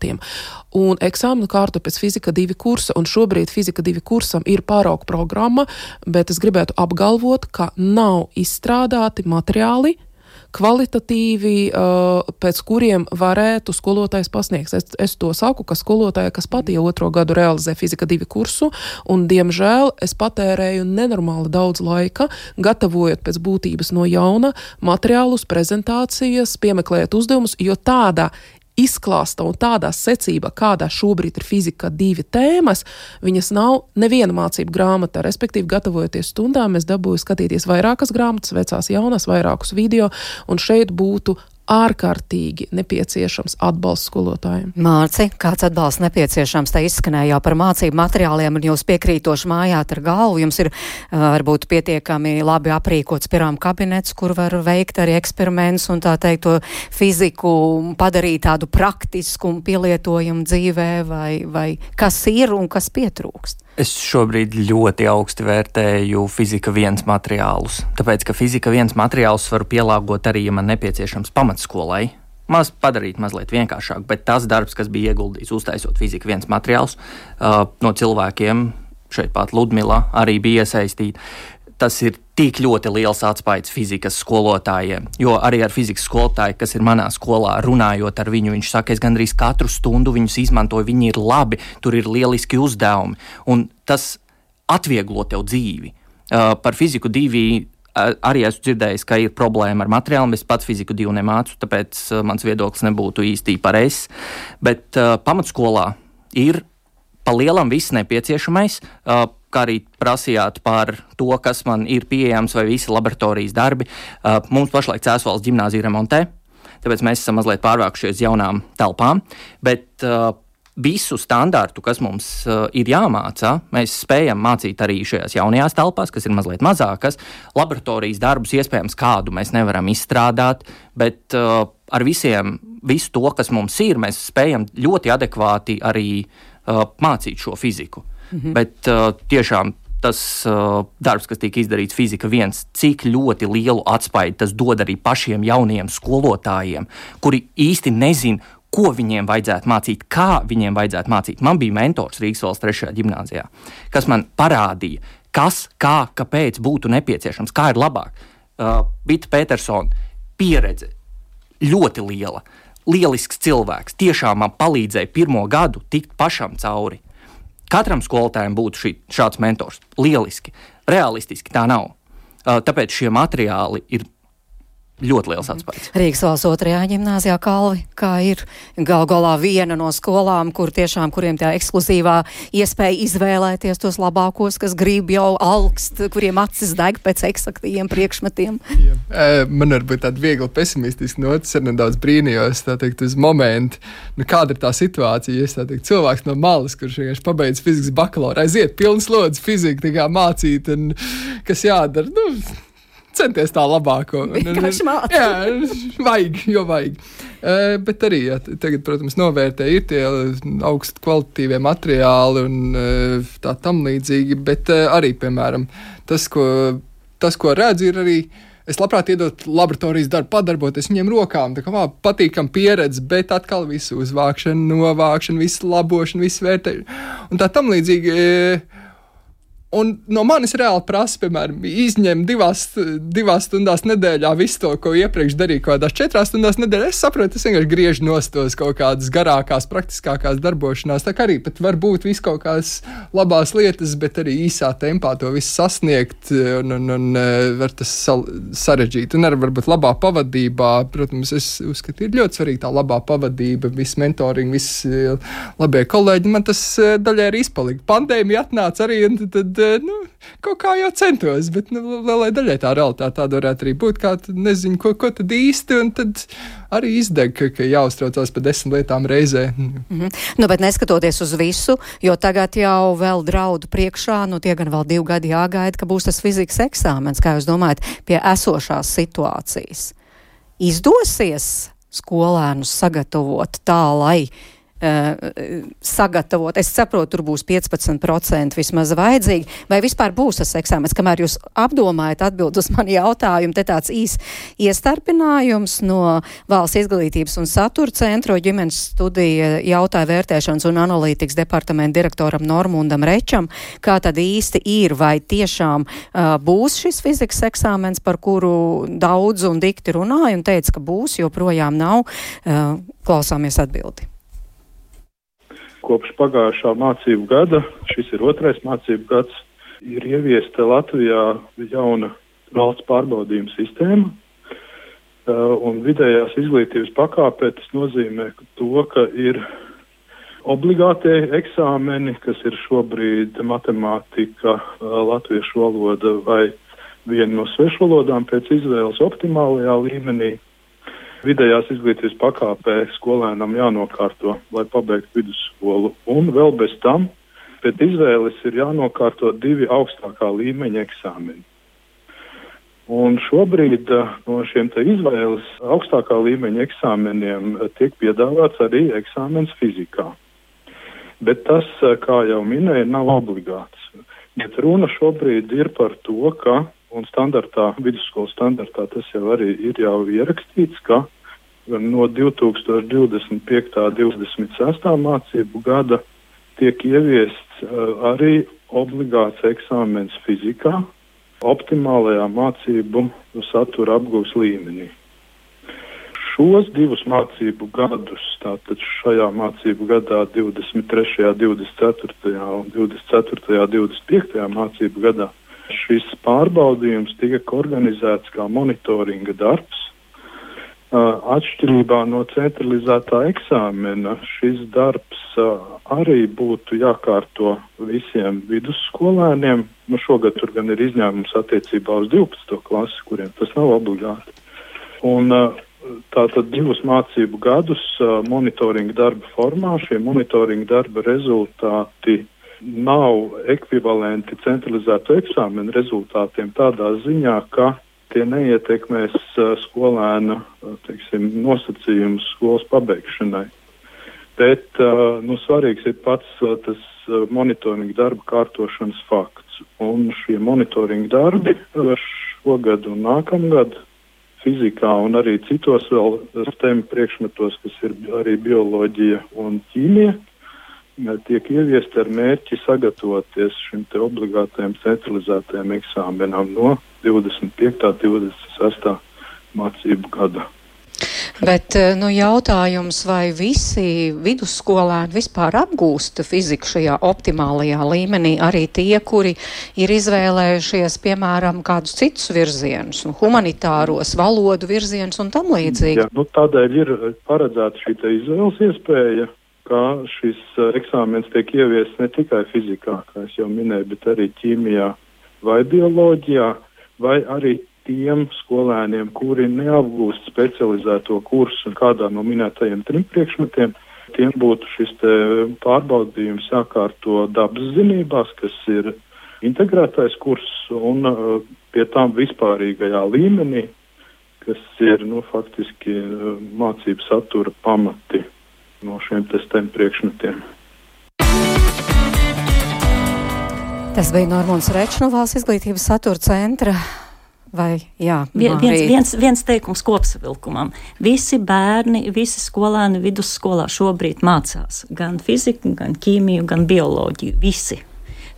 Un eksāmenu kārtu pēc fizika 2 kursa, un šobrīd fizika 2 kursam ir pārauga programma, bet es gribētu apgalvot, ka nav izstrādāti materiāli kvalitatīvi, pēc kuriem varētu skolotājs pasniegt. Es to saku, ka skolotāja, kas pat jau 2. gadu realizē fizika 2 kursu, un diemžēl es patērēju nenormāli daudz laika, gatavojot pēc būtības no jauna materiālus, prezentācijas, piemeklējot uzdevumus, jo tāda izklāsta un tādā secībā, kādā šobrīd ir fizika 2 tēmas, viņas nav neviena mācību grāmata. Respektīvi, gatavojoties stundām, es dabūju skatīties vairākas grāmatas, vecās, jaunās, vairākus video, un šeit būtu ārkārtīgi nepieciešams atbalsts skolotājiem. Mārci, kāds atbalsts nepieciešams? Te izskanēja jau par mācību materiāliem, un jūs piekrītoši mājāt ar galvu. Jums ir varbūt pietiekami labi aprīkots pirām kabinets, kur var veikt arī eksperimentus un tā teikt to fiziku padarīt tādu praktisku un pielietojumu dzīvē, vai kas ir un kas pietrūkst? Es šobrīd ļoti augsti vērtēju fizika 1 materiālus, tāpēc, ka fizika 1 materiālus varu pielāgot arī, ja man nepieciešams pamatskolai. Padarīt mazliet vienkāršāk, bet tas darbs, kas bija ieguldīts uztaisot fizika 1 materiālus, no cilvēkiem, šeit pat Ludmila arī bija iesaistīta, tas ir tik ļoti liels atspaids fizikas skolotājiem, jo arī ar fizikas skolotāju, kas ir manā skolā, runājot ar viņu, viņš saka, es gandrīz katru stundu viņus izmantoju, viņi ir labi, tur ir lieliski uzdevumi, un tas atvieglo tev dzīvi. Par fiziku 2 arī esmu dzirdējis, ka ir problēma ar materiāliem, es pats fiziku 2 nemācu, tāpēc mans viedoklis nebūtu īsti pareizs, bet pamatskolā ir pa lielam viss nepieciešamais, kā arī prasījāt par to, kas man ir pieejams vai visi laboratorijas darbi. Mums pašlaik Cēsvalsts ģimnāzija remontē, tāpēc mēs esam mazliet pārvākušies jaunām telpām, bet visu standārtu, kas mums ir jāmācā, mēs spējam mācīt arī šajās jaunajās telpās, kas ir mazliet mazākas. Laboratorijas darbus iespējams kādu mēs nevaram izstrādāt, bet ar visu to, kas mums ir, mēs spējam ļoti adekvāti arī mācīt šo fiziku. Bet tiešām tas darbs, kas tika izdarīts fizika 1, cik ļoti lielu atspaidu tas dod arī pašiem jaunajiem skolotājiem, kuri īsti nezin, ko viņiem vajadzētu mācīt, kā viņiem vajadzētu mācīt. Man bija mentors Rīgas valsts 3. ģimnāzijā, kas man parādīja, kas, kā, kāpēc būtu nepieciešams, kā ir labāk. Vita Petersona pieredze ļoti liela, lielisks cilvēks, tiešām man palīdzēja 1. gadu tikt pašam cauri. Katram skolotājiem būtu šāds mentors. Lieliski, realistiski tā nav. Tāpēc šie materiāli ir ļoti liels atspējas. Rīgas valsts 2. ģimnāzijā, Kalvi, kā ir gal galā viena no skolām, kuriem tā ekskluzīvā iespēja izvēlēties tos labākos, kas grib jau augst, kuriem acis deg pēc eksaktiem priekšmetiem. Man varbūt tāda viegli pesimistiska notis, ar nedaudz brīnījos, tā teikt, uz momentu. Kāda ir tā situācija, ja cilvēks no malas, kurš vienkārši pabeidz fizikas bakalaura, aiziet pilns lodzes fiziku, tā kā mācīt, un kas jādara, centies tā labāko. Vienkārši mācīt. Jā, vajag. Bet arī, tagad, protams, novērtē ir tie augstu kvalitatīvie materiāli un tā tam līdzīgi, bet arī, piemēram, tas, ko redz, ir arī Es labprāt iedot laboratorijas darbu, padarboties viņiem rokām, tā kā patīkam pieredze, bet atkal visu uzvākšanu, novākšanu, visu labošanu, visu vērtēšanu un tā tam līdzīgi. Un no manis reāli prasa, piemēram, izņemt divās stundās nedēļā visu to, ko iepriekš darīju kaut kādās 4 stundās nedēļā. Es saprotu, es vienkārši griežu nostos kaut kādas garākās, praktiskākās darbošanās. Tā kā arī pat var būt visu kaut kādas labās lietas, bet arī īsā tempā to visu sasniegt un var tas sarežģīt. Un arī varbūt labā pavadībā, protams, es uzskatu, ir ļoti svarīga tā labā pavadība, viss mentoring, viss labie kolēģi. Man tas daļai arī izpalika. Pandēmija atnāca arī, un tad kaut kā jau centos, bet lielai daļai tā realitāte tāda varētu arī būt, kā nezinu, ko tad īsti, un tad arī izdeg, ka jāuztraucās par 10 lietām reizē. Bet neskatoties uz visu, jo tagad jau vēl draudu priekšā, tie gan vēl 2 gadi jāgaida, ka būs tas fizikas eksāmens, kā jūs domājat, pie esošās situācijas. Izdosies skolēnus sagatavot tā, lai sagatavot. Es saprotu, tur būs 15% vismaz vajadzīgi, vai vispār būs tas eksāmens, kamēr jūs apdomājat atbild uz mani jautājumu, te tāds iestarpinājums no Valsts izglītības un satura centra ģimenes studija jautāja vērtēšanas un analītikas departamenta direktoram Normundam Rečam, kā tad īsti ir, vai tiešām būs šis fizikas eksāmens, par kuru daudz un dikti runāja un teica, ka būs, joprojām nav. Klausāmies atbildi. Kopš pagājušā mācību gada, šis ir 2. mācību gads, ir ieviesta Latvijā jauna valsts pārbaudījuma sistēma, un vidējās izglītības pakāpē tas nozīmē to, ka ir obligātie eksāmeni, kas ir šobrīd matemātika, latviešu valoda vai viena no svešvalodām pēc izvēles optimālajā līmenī. Vidējās izglītības pakāpē skolēnam jānokārto, lai pabeigtu vidusskolu. Un vēl bez tam pēc izvēles ir jānokārto 2 augstākā līmeņa eksāmeni. Un šobrīd no šiem te izvēles augstākā līmeņa eksāmeniem tiek piedāvāts arī eksāmens fizikā. Bet tas, kā jau minēju, nav obligāts. Bet runa šobrīd ir par to, ka un vidusskolas standartā tas jau arī ir jau ierakstīts, ka no 2025. 26. mācību gada tiek ieviests arī obligāts eksāmens fizikā, optimālajā mācību satura apgūves līmenī. Šos 2 mācību gadus, tātad šajā mācību gadā 23., 24. un 24., 25. mācību gadā, šis pārbaudījums tiek organizēts kā monitoringa darbs. Atšķirībā no centralizētā eksāmena šis darbs arī būtu jākārto visiem vidusskolēniem. Šogad tur gan ir izņēmums attiecībā uz 12. klasi, kuriem tas nav obligāti. Un tātad 2 mācību gadus monitoringa darba formā. Šie monitoringa darba rezultāti nav ekvivalenti centralizēto eksāmenu rezultātiem tādā ziņā, ka tie neietekmēs skolēna, nosacījumus skolas pabeigšanai. Bet, svarīgs ir pats tas monitoringa darba kārtošanas fakts. Un šie monitoringa darbi šogad un nākamgad fizikā un arī citos vēl STEM priekšmetos, kas ir arī bioloģija un ķīmija, tiek ieviesti ar mērķi sagatavoties šim te obligātajam centralizētajam eksāmenam no 25. 26. mācību gada. Bet jautājums, vai visi vidusskolēni vispār apgūst fiziku šajā optimālajā līmenī, arī tie, kuri ir izvēlējušies, piemēram, kādus citus virzienus, humanitāros, valodu virzienus un tam līdzīgi? Jā, tādēļ ir paredzēta šī te izvēles iespēja, ka šis eksāmens tiek ieviests ne tikai fizikā, kā es jau minēju, bet arī ķīmijā vai bioloģijā, vai arī tiem skolēniem, kuri neapgūst specializēto kursu kādā no minētajiem 3 priekšmetiem, tiem būtu šis te pārbaudījums jākārto dabas zinībās, kas ir integrētais kurs, un pie tām vispārīgajā līmenī, kas ir, faktiski mācību satura pamati no šiem STEM priekšmetiem. Tas bija Normunds Rečs no Valsts izglītības satura centra. Vai, jā, viens teikums kopsavilkumam. Visi bērni, visi skolēni vidusskolā šobrīd mācās gan fiziku, gan ķīmiju, gan bioloģiju. Visi.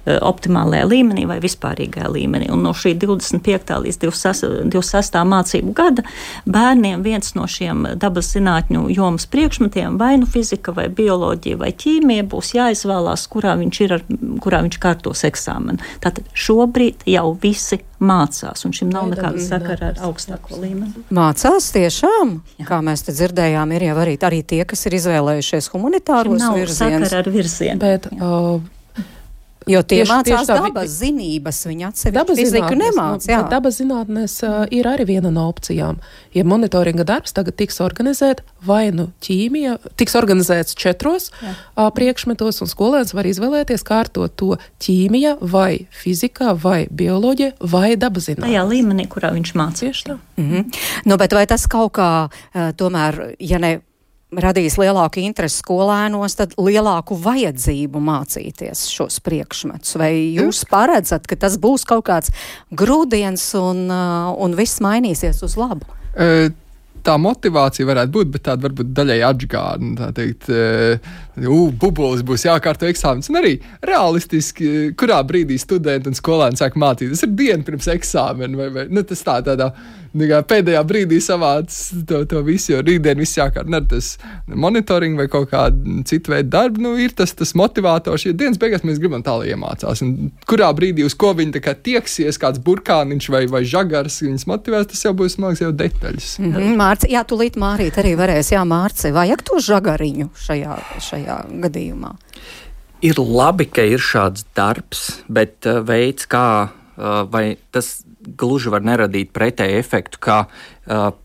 Optimālajā līmenī vai vispārīgajā līmenī. Un no šī 25. līdz 26. mācību gada bērniem viens no šiem dabas zinātņu jomas priekšmetiem, vai nu fizika, vai bioloģija, vai ķīmija, būs jāizvēlās, kurā viņš kārtos eksāmenu. Tātad šobrīd jau visi mācās, un šim nav nekāda sakara ar augstāko līmeni. Mācās tiešām? Jā. Kā mēs te dzirdējām, ir jau arī tie, kas ir izvēlējušies humanitāros virzienus. Nav sakara ar virzienu. Bet, jo tie mācās dabas zinības, viņi atsevišķi fiziku nemāc. Dabas zinātnes ir arī viena no opcijām. Ja monitoringa darbs tagad tiks organizēt, vai nu ķīmija, tiks organizēts 4 priekšmetos, un skolēns var izvēlēties kārtot to ķīmija, vai fizikā, vai bioloģija, vai dabas zinātnes. Tajā līmenī, kurā viņš mācīs. Nu, bet vai tas kaut kā tomēr, ja ne radīs lielāku interesi skolēnos, tad lielāku vajadzību mācīties šos priekšmetus? Vai jūs paredzat, ka tas būs kaut kāds grūdiens un viss mainīsies uz labu? Tā motivācija varētu būt, bet tāda varbūt daļai atžgārna, tā teikt, bubulis būs jākārto eksāmenis. Un arī realistiski, kurā brīdī studenti un skolēni sāk mācīt. Tas ir diena pirms eksāmena, vai tas tādā pēdējā brīdī savāc to visu, jo rītdien viss jākārt. Ne tas monitoring vai kaut kāda cita veida darba, ir tas motivators, jo dienas beigās mēs gribam tā, lai iemācās. Un kurā brīdī uz ko viņi tā kā tieksies, kāds burkāniņš vai žagars viņus motivēs, tas jau būs, man liekas, jau detaļas. Mārci, jā, tūlīt Mārīt arī varēs, Mārci, vajag to žagariņu šajā gadījumā? Ir labi, ka ir šāds darbs, bet veids, kā vai tas gluži var neradīt pretēju efektu, ka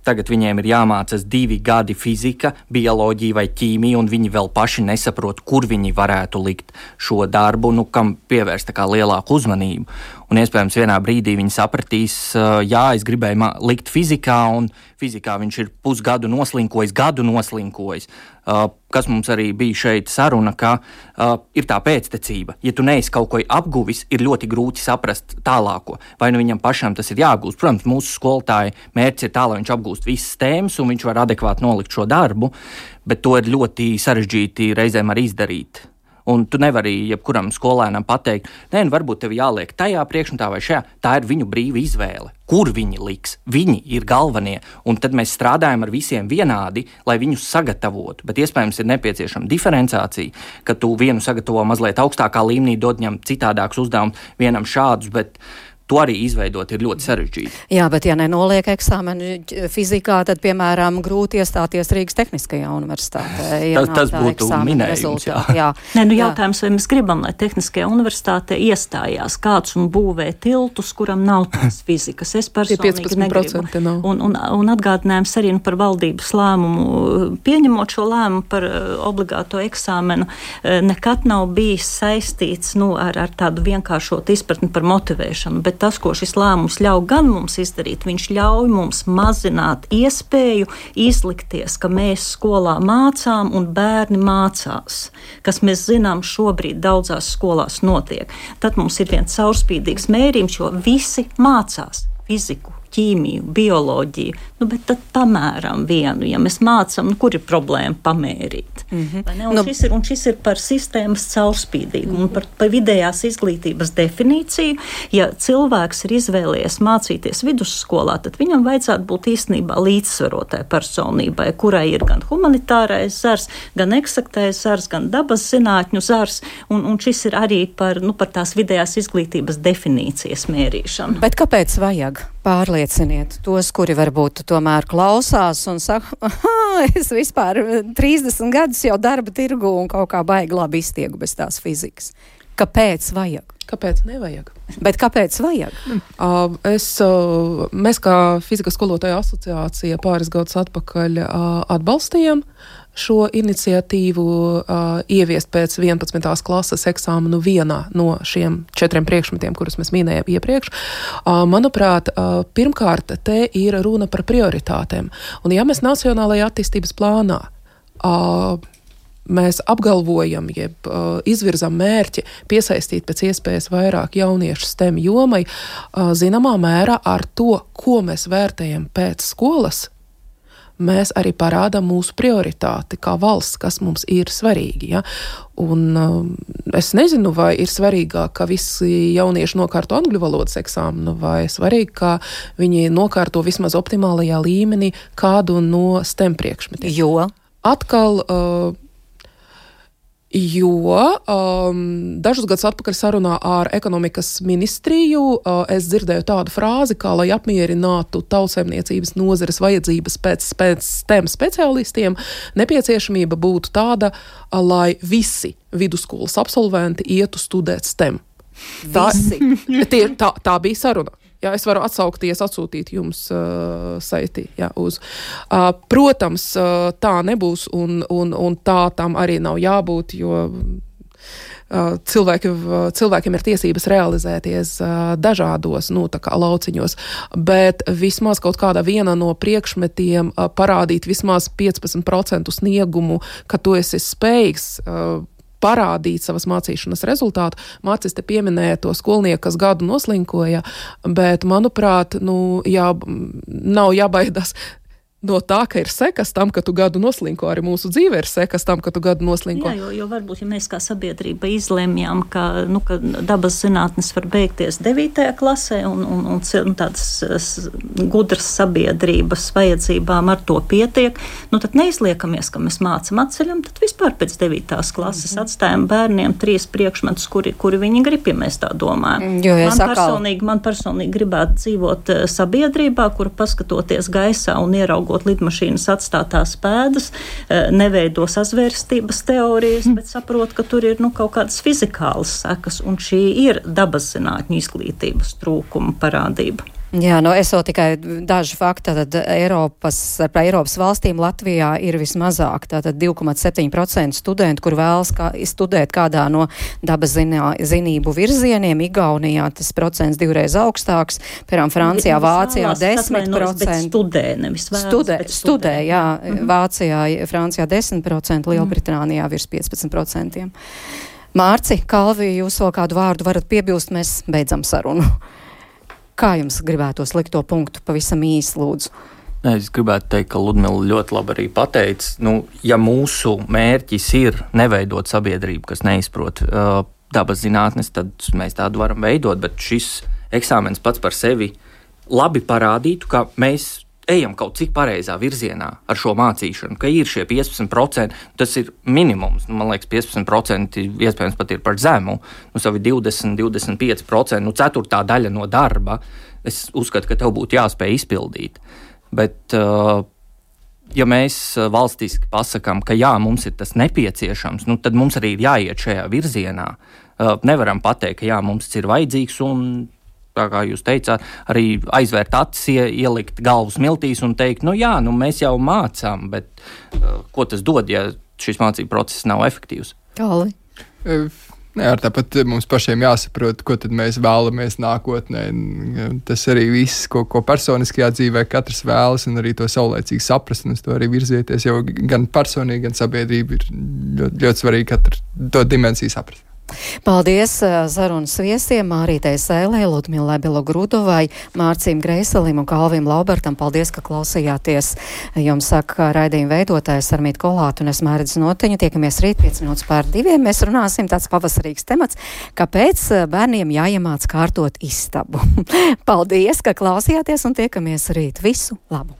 tagad viņiem ir jāmācās 2 gadi fizika, bioloģija vai ķīmija, un viņi vēl paši nesaprot, kur viņi varētu likt šo darbu, kam pievērst tā kā lielāku uzmanību. Un iespējams vienā brīdī viņi sapratīs, es gribēju likt fizikā, un fizikā viņš ir pusgadu gadu noslinkojis. Kas mums arī bija šeit saruna, ka ir tā pēctecība. Ja tu neesi kaut ko apguvis, ir ļoti grūti saprast tālāko. Vai nu viņam pašam tas ir jāgūst. Protams, mūsu skolotāja mērķis ir tā, lai viņš apgūst visas tēmas un viņš var adekvāti nolikt šo darbu, bet to ir ļoti sarežģīti reizēm arī izdarīt. Un tu nevari jebkuram skolēnam pateikt, varbūt tev jāliek tajā priekšmetā vai šajā. Tā ir viņu brīva izvēle. Kur viņi liks? Viņi ir galvenie. Un tad mēs strādājam ar visiem vienādi, lai viņus sagatavotu. Bet iespējams ir nepieciešama diferenciācija, ka tu vienu sagatavo mazliet augstākā līmenī, dod viņam citādākus uzdevumus, vienam šādus, bet to arī izveidot ir ļoti sarežģīti. Jā, bet ja nenoliek eksāmenu fizikā, tad, piemēram, grūti iestāties Rīgas Tehniskajā universitātē. Tas būtu minējums, jā. Jautājums, vai mēs gribam, lai Tehniskajā universitātē iestājās kāds un būvē tiltus, kuram nav tās fizikas. Es personīgi negribu. Un atgādinājums arī par valdības lēmumu. Pieņemot šo lēmumu par obligāto eksāmenu, nekad nav bijis saistīts ar tādu vienkāršotu izpratni par motivēšanu, bet tas, ko šis lēmums ļauj gan mums izdarīt, viņš ļauj mums mazināt iespēju izlikties, ka mēs skolā mācām un bērni mācās, kas mēs zinām šobrīd daudzās skolās notiek. Tad mums ir viens caurspīdīgs mērījums, jo visi mācās fiziku, ķīmiju, bioloģiju, bet tad pamēram vienu. Ja mēs mācām, kur ir problēma pamērīt? Šis ir par sistēmas caurspīdīgumu un par vidējās izglītības definīciju. Ja cilvēks ir izvēlējies mācīties vidusskolā, tad viņam vajadzētu būt īstenībā līdzsvarotai personībai, kurai ir gan humanitārais zars, gan eksaktais zars, gan dabas zinātņu zars, un šis ir arī par tās vidējās izglītības definīcijas mērīšanu. Bet kāpēc vajag? Pārlieciniet tos, kuri varbūt tomēr klausās un saka, es vispār 30 gadus jau darba tirgu un kaut kā baigi labi iztiegu bez tās fizikas. Kāpēc vajag? Kāpēc nevajag? Bet kāpēc vajag? Mēs kā fizikas skolotāju asociācija pāris gadus atpakaļ atbalstījām šo iniciatīvu ieviest pēc 11. klases eksāmenu vienā no šiem 4 priekšmetiem, kurus mēs minējām iepriekš. Manuprāt, pirmkārt, te ir runa par prioritātēm. Un ja mēs nacionālajā attīstības plānā mēs apgalvojam, jeb izvirzam mērķi piesaistīt pēc iespējas vairāk jauniešu STEM jomai, zināmā mērā ar to, ko mēs vērtējam pēc skolas, mēs arī parādām mūsu prioritāti kā valsts, kas mums ir svarīgi. Ja? Un es nezinu, vai ir svarīgāk, ka visi jaunieši nokārto angļu valodas eksāmenu, vai svarīgi, ka viņi nokārto vismaz optimālajā līmenī kādu no STEM priekšmetiem. Jo? Atkal, dažus gadus atpakaļ sarunā ar ekonomikas ministriju es dzirdēju tādu frāzi, kā lai apmierinātu tautsaimniecības nozares vajadzības pēc STEM speciālistiem, nepieciešamība būtu tāda, lai visi vidusskolas absolventi ietu studēt STEM. Tā bija saruna. Jā, es varu atsūtīt jums saiti uz. Protams, tā nebūs un tā tam arī nav jābūt, jo cilvēkiem ir tiesības realizēties dažādos lauciņos, bet vismaz kaut kāda viena no priekšmetiem parādīt vismaz 15% sniegumu, ka tu esi spējīgs parādīt savas mācīšanas rezultātu. Mācis te pieminēja to skolnieku, kas gadu noslinkoja, bet, manuprāt, nav jābaidās no tā, ka ir sekas tam, ka tu gadu noslinko, arī mūsu dzīve ir sekas tam, ka tu gadu noslinko. Jā, jo varbūt, ja mēs kā sabiedrība izlemjam, ka dabas zinātnes var beigties 9. klasē un tādas gudras sabiedrības vajadzībām ar to pietiek, tad neizliekamies, ka mēs mācam atceļam, tad vispār pēc 9. klases atstājam bērniem 3 priekšmetus, kuri viņi grib, ja mēs tā domājam. Man personīgi gribētu dzīvot sabiedrībā, kura paskatoties gaisā un ieraugot lidmašīnas atstātās pēdas, neveido sazvērstības teorijas, bet saprot, ka tur ir kaut kādas fizikālas sekas, un šī ir dabas zinātņu izglītības trūkuma parādība. Jā, es vēl tikai daži fakti, tad Eiropas valstīm Latvijā ir vismazāk, tātad 2,7% studentu, kur vēlas studēt kādā no dabas zinību virzieniem. Igaunijā tas procents 2 augstāks, piemēram, Francijā, Vācijā 10%. Studē, jā, Vācijā, Francijā 10%, Lielbritānijā virs 15%. Mārci, Kalvi, jūs vēl kādu vārdu varat piebilst, mēs beidzam sarunu. Kā jums gribētos likt to punktu pavisam īsi, lūdzu? Es gribētu teikt, ka Ludmila ļoti labi arī pateica, ja mūsu mērķis ir neveidot sabiedrību, kas neizprot dabas zinātnes, tad mēs tādu varam veidot, bet šis eksāmens pats par sevi labi parādītu, ka mēs ejam kaut cik pareizā virzienā ar šo mācīšanu, ka ir šie 15%, tas ir minimums. Man liekas, 15% iespējams pat ir par zemu. Savi 20-25%, ceturtā daļa no darba, es uzskatu, ka tev būtu jāspēj izpildīt. Bet, ja mēs valstiski pasakām, ka jā, mums ir tas nepieciešams, tad mums arī ir jāiet šajā virzienā. Nevaram pateikt, ka jā, mums ir vajadzīgs un tā kā jūs teicāt, arī aizvērt acis, ielikt galvu smiltīs un teikt, mēs jau mācām, bet ko tas dod, ja šis mācību process nav efektīvs? Kāli? Tāpat mums pašiem jāsaprot, ko tad mēs vēlamies nākotnē. Tas arī viss, ko personiskajā dzīvē katrs vēlas, un arī to saulēcīgi saprast, un uz to arī virzieties, jo gan personīgi, gan sabiedrība ir ļoti, ļoti svarīgi katru to dimensiju saprast. Paldies sarunas viesiem Mārītei Sēlē, Ludmilai Belogrudovai, Mārcim Greiselim un Kalvim Laubertam. Paldies, ka klausījāties. Jums saka raidījuma veidotājs Armīta Kolāta un es Mairidz Noteņa. Tiekamies rīt 5:55. Mēs runāsim tāds pavasarīgs temats, kāpēc bērniem jāiemāc kārtot istabu. Paldies, ka klausījāties un tiekamies rīt. Visu labu!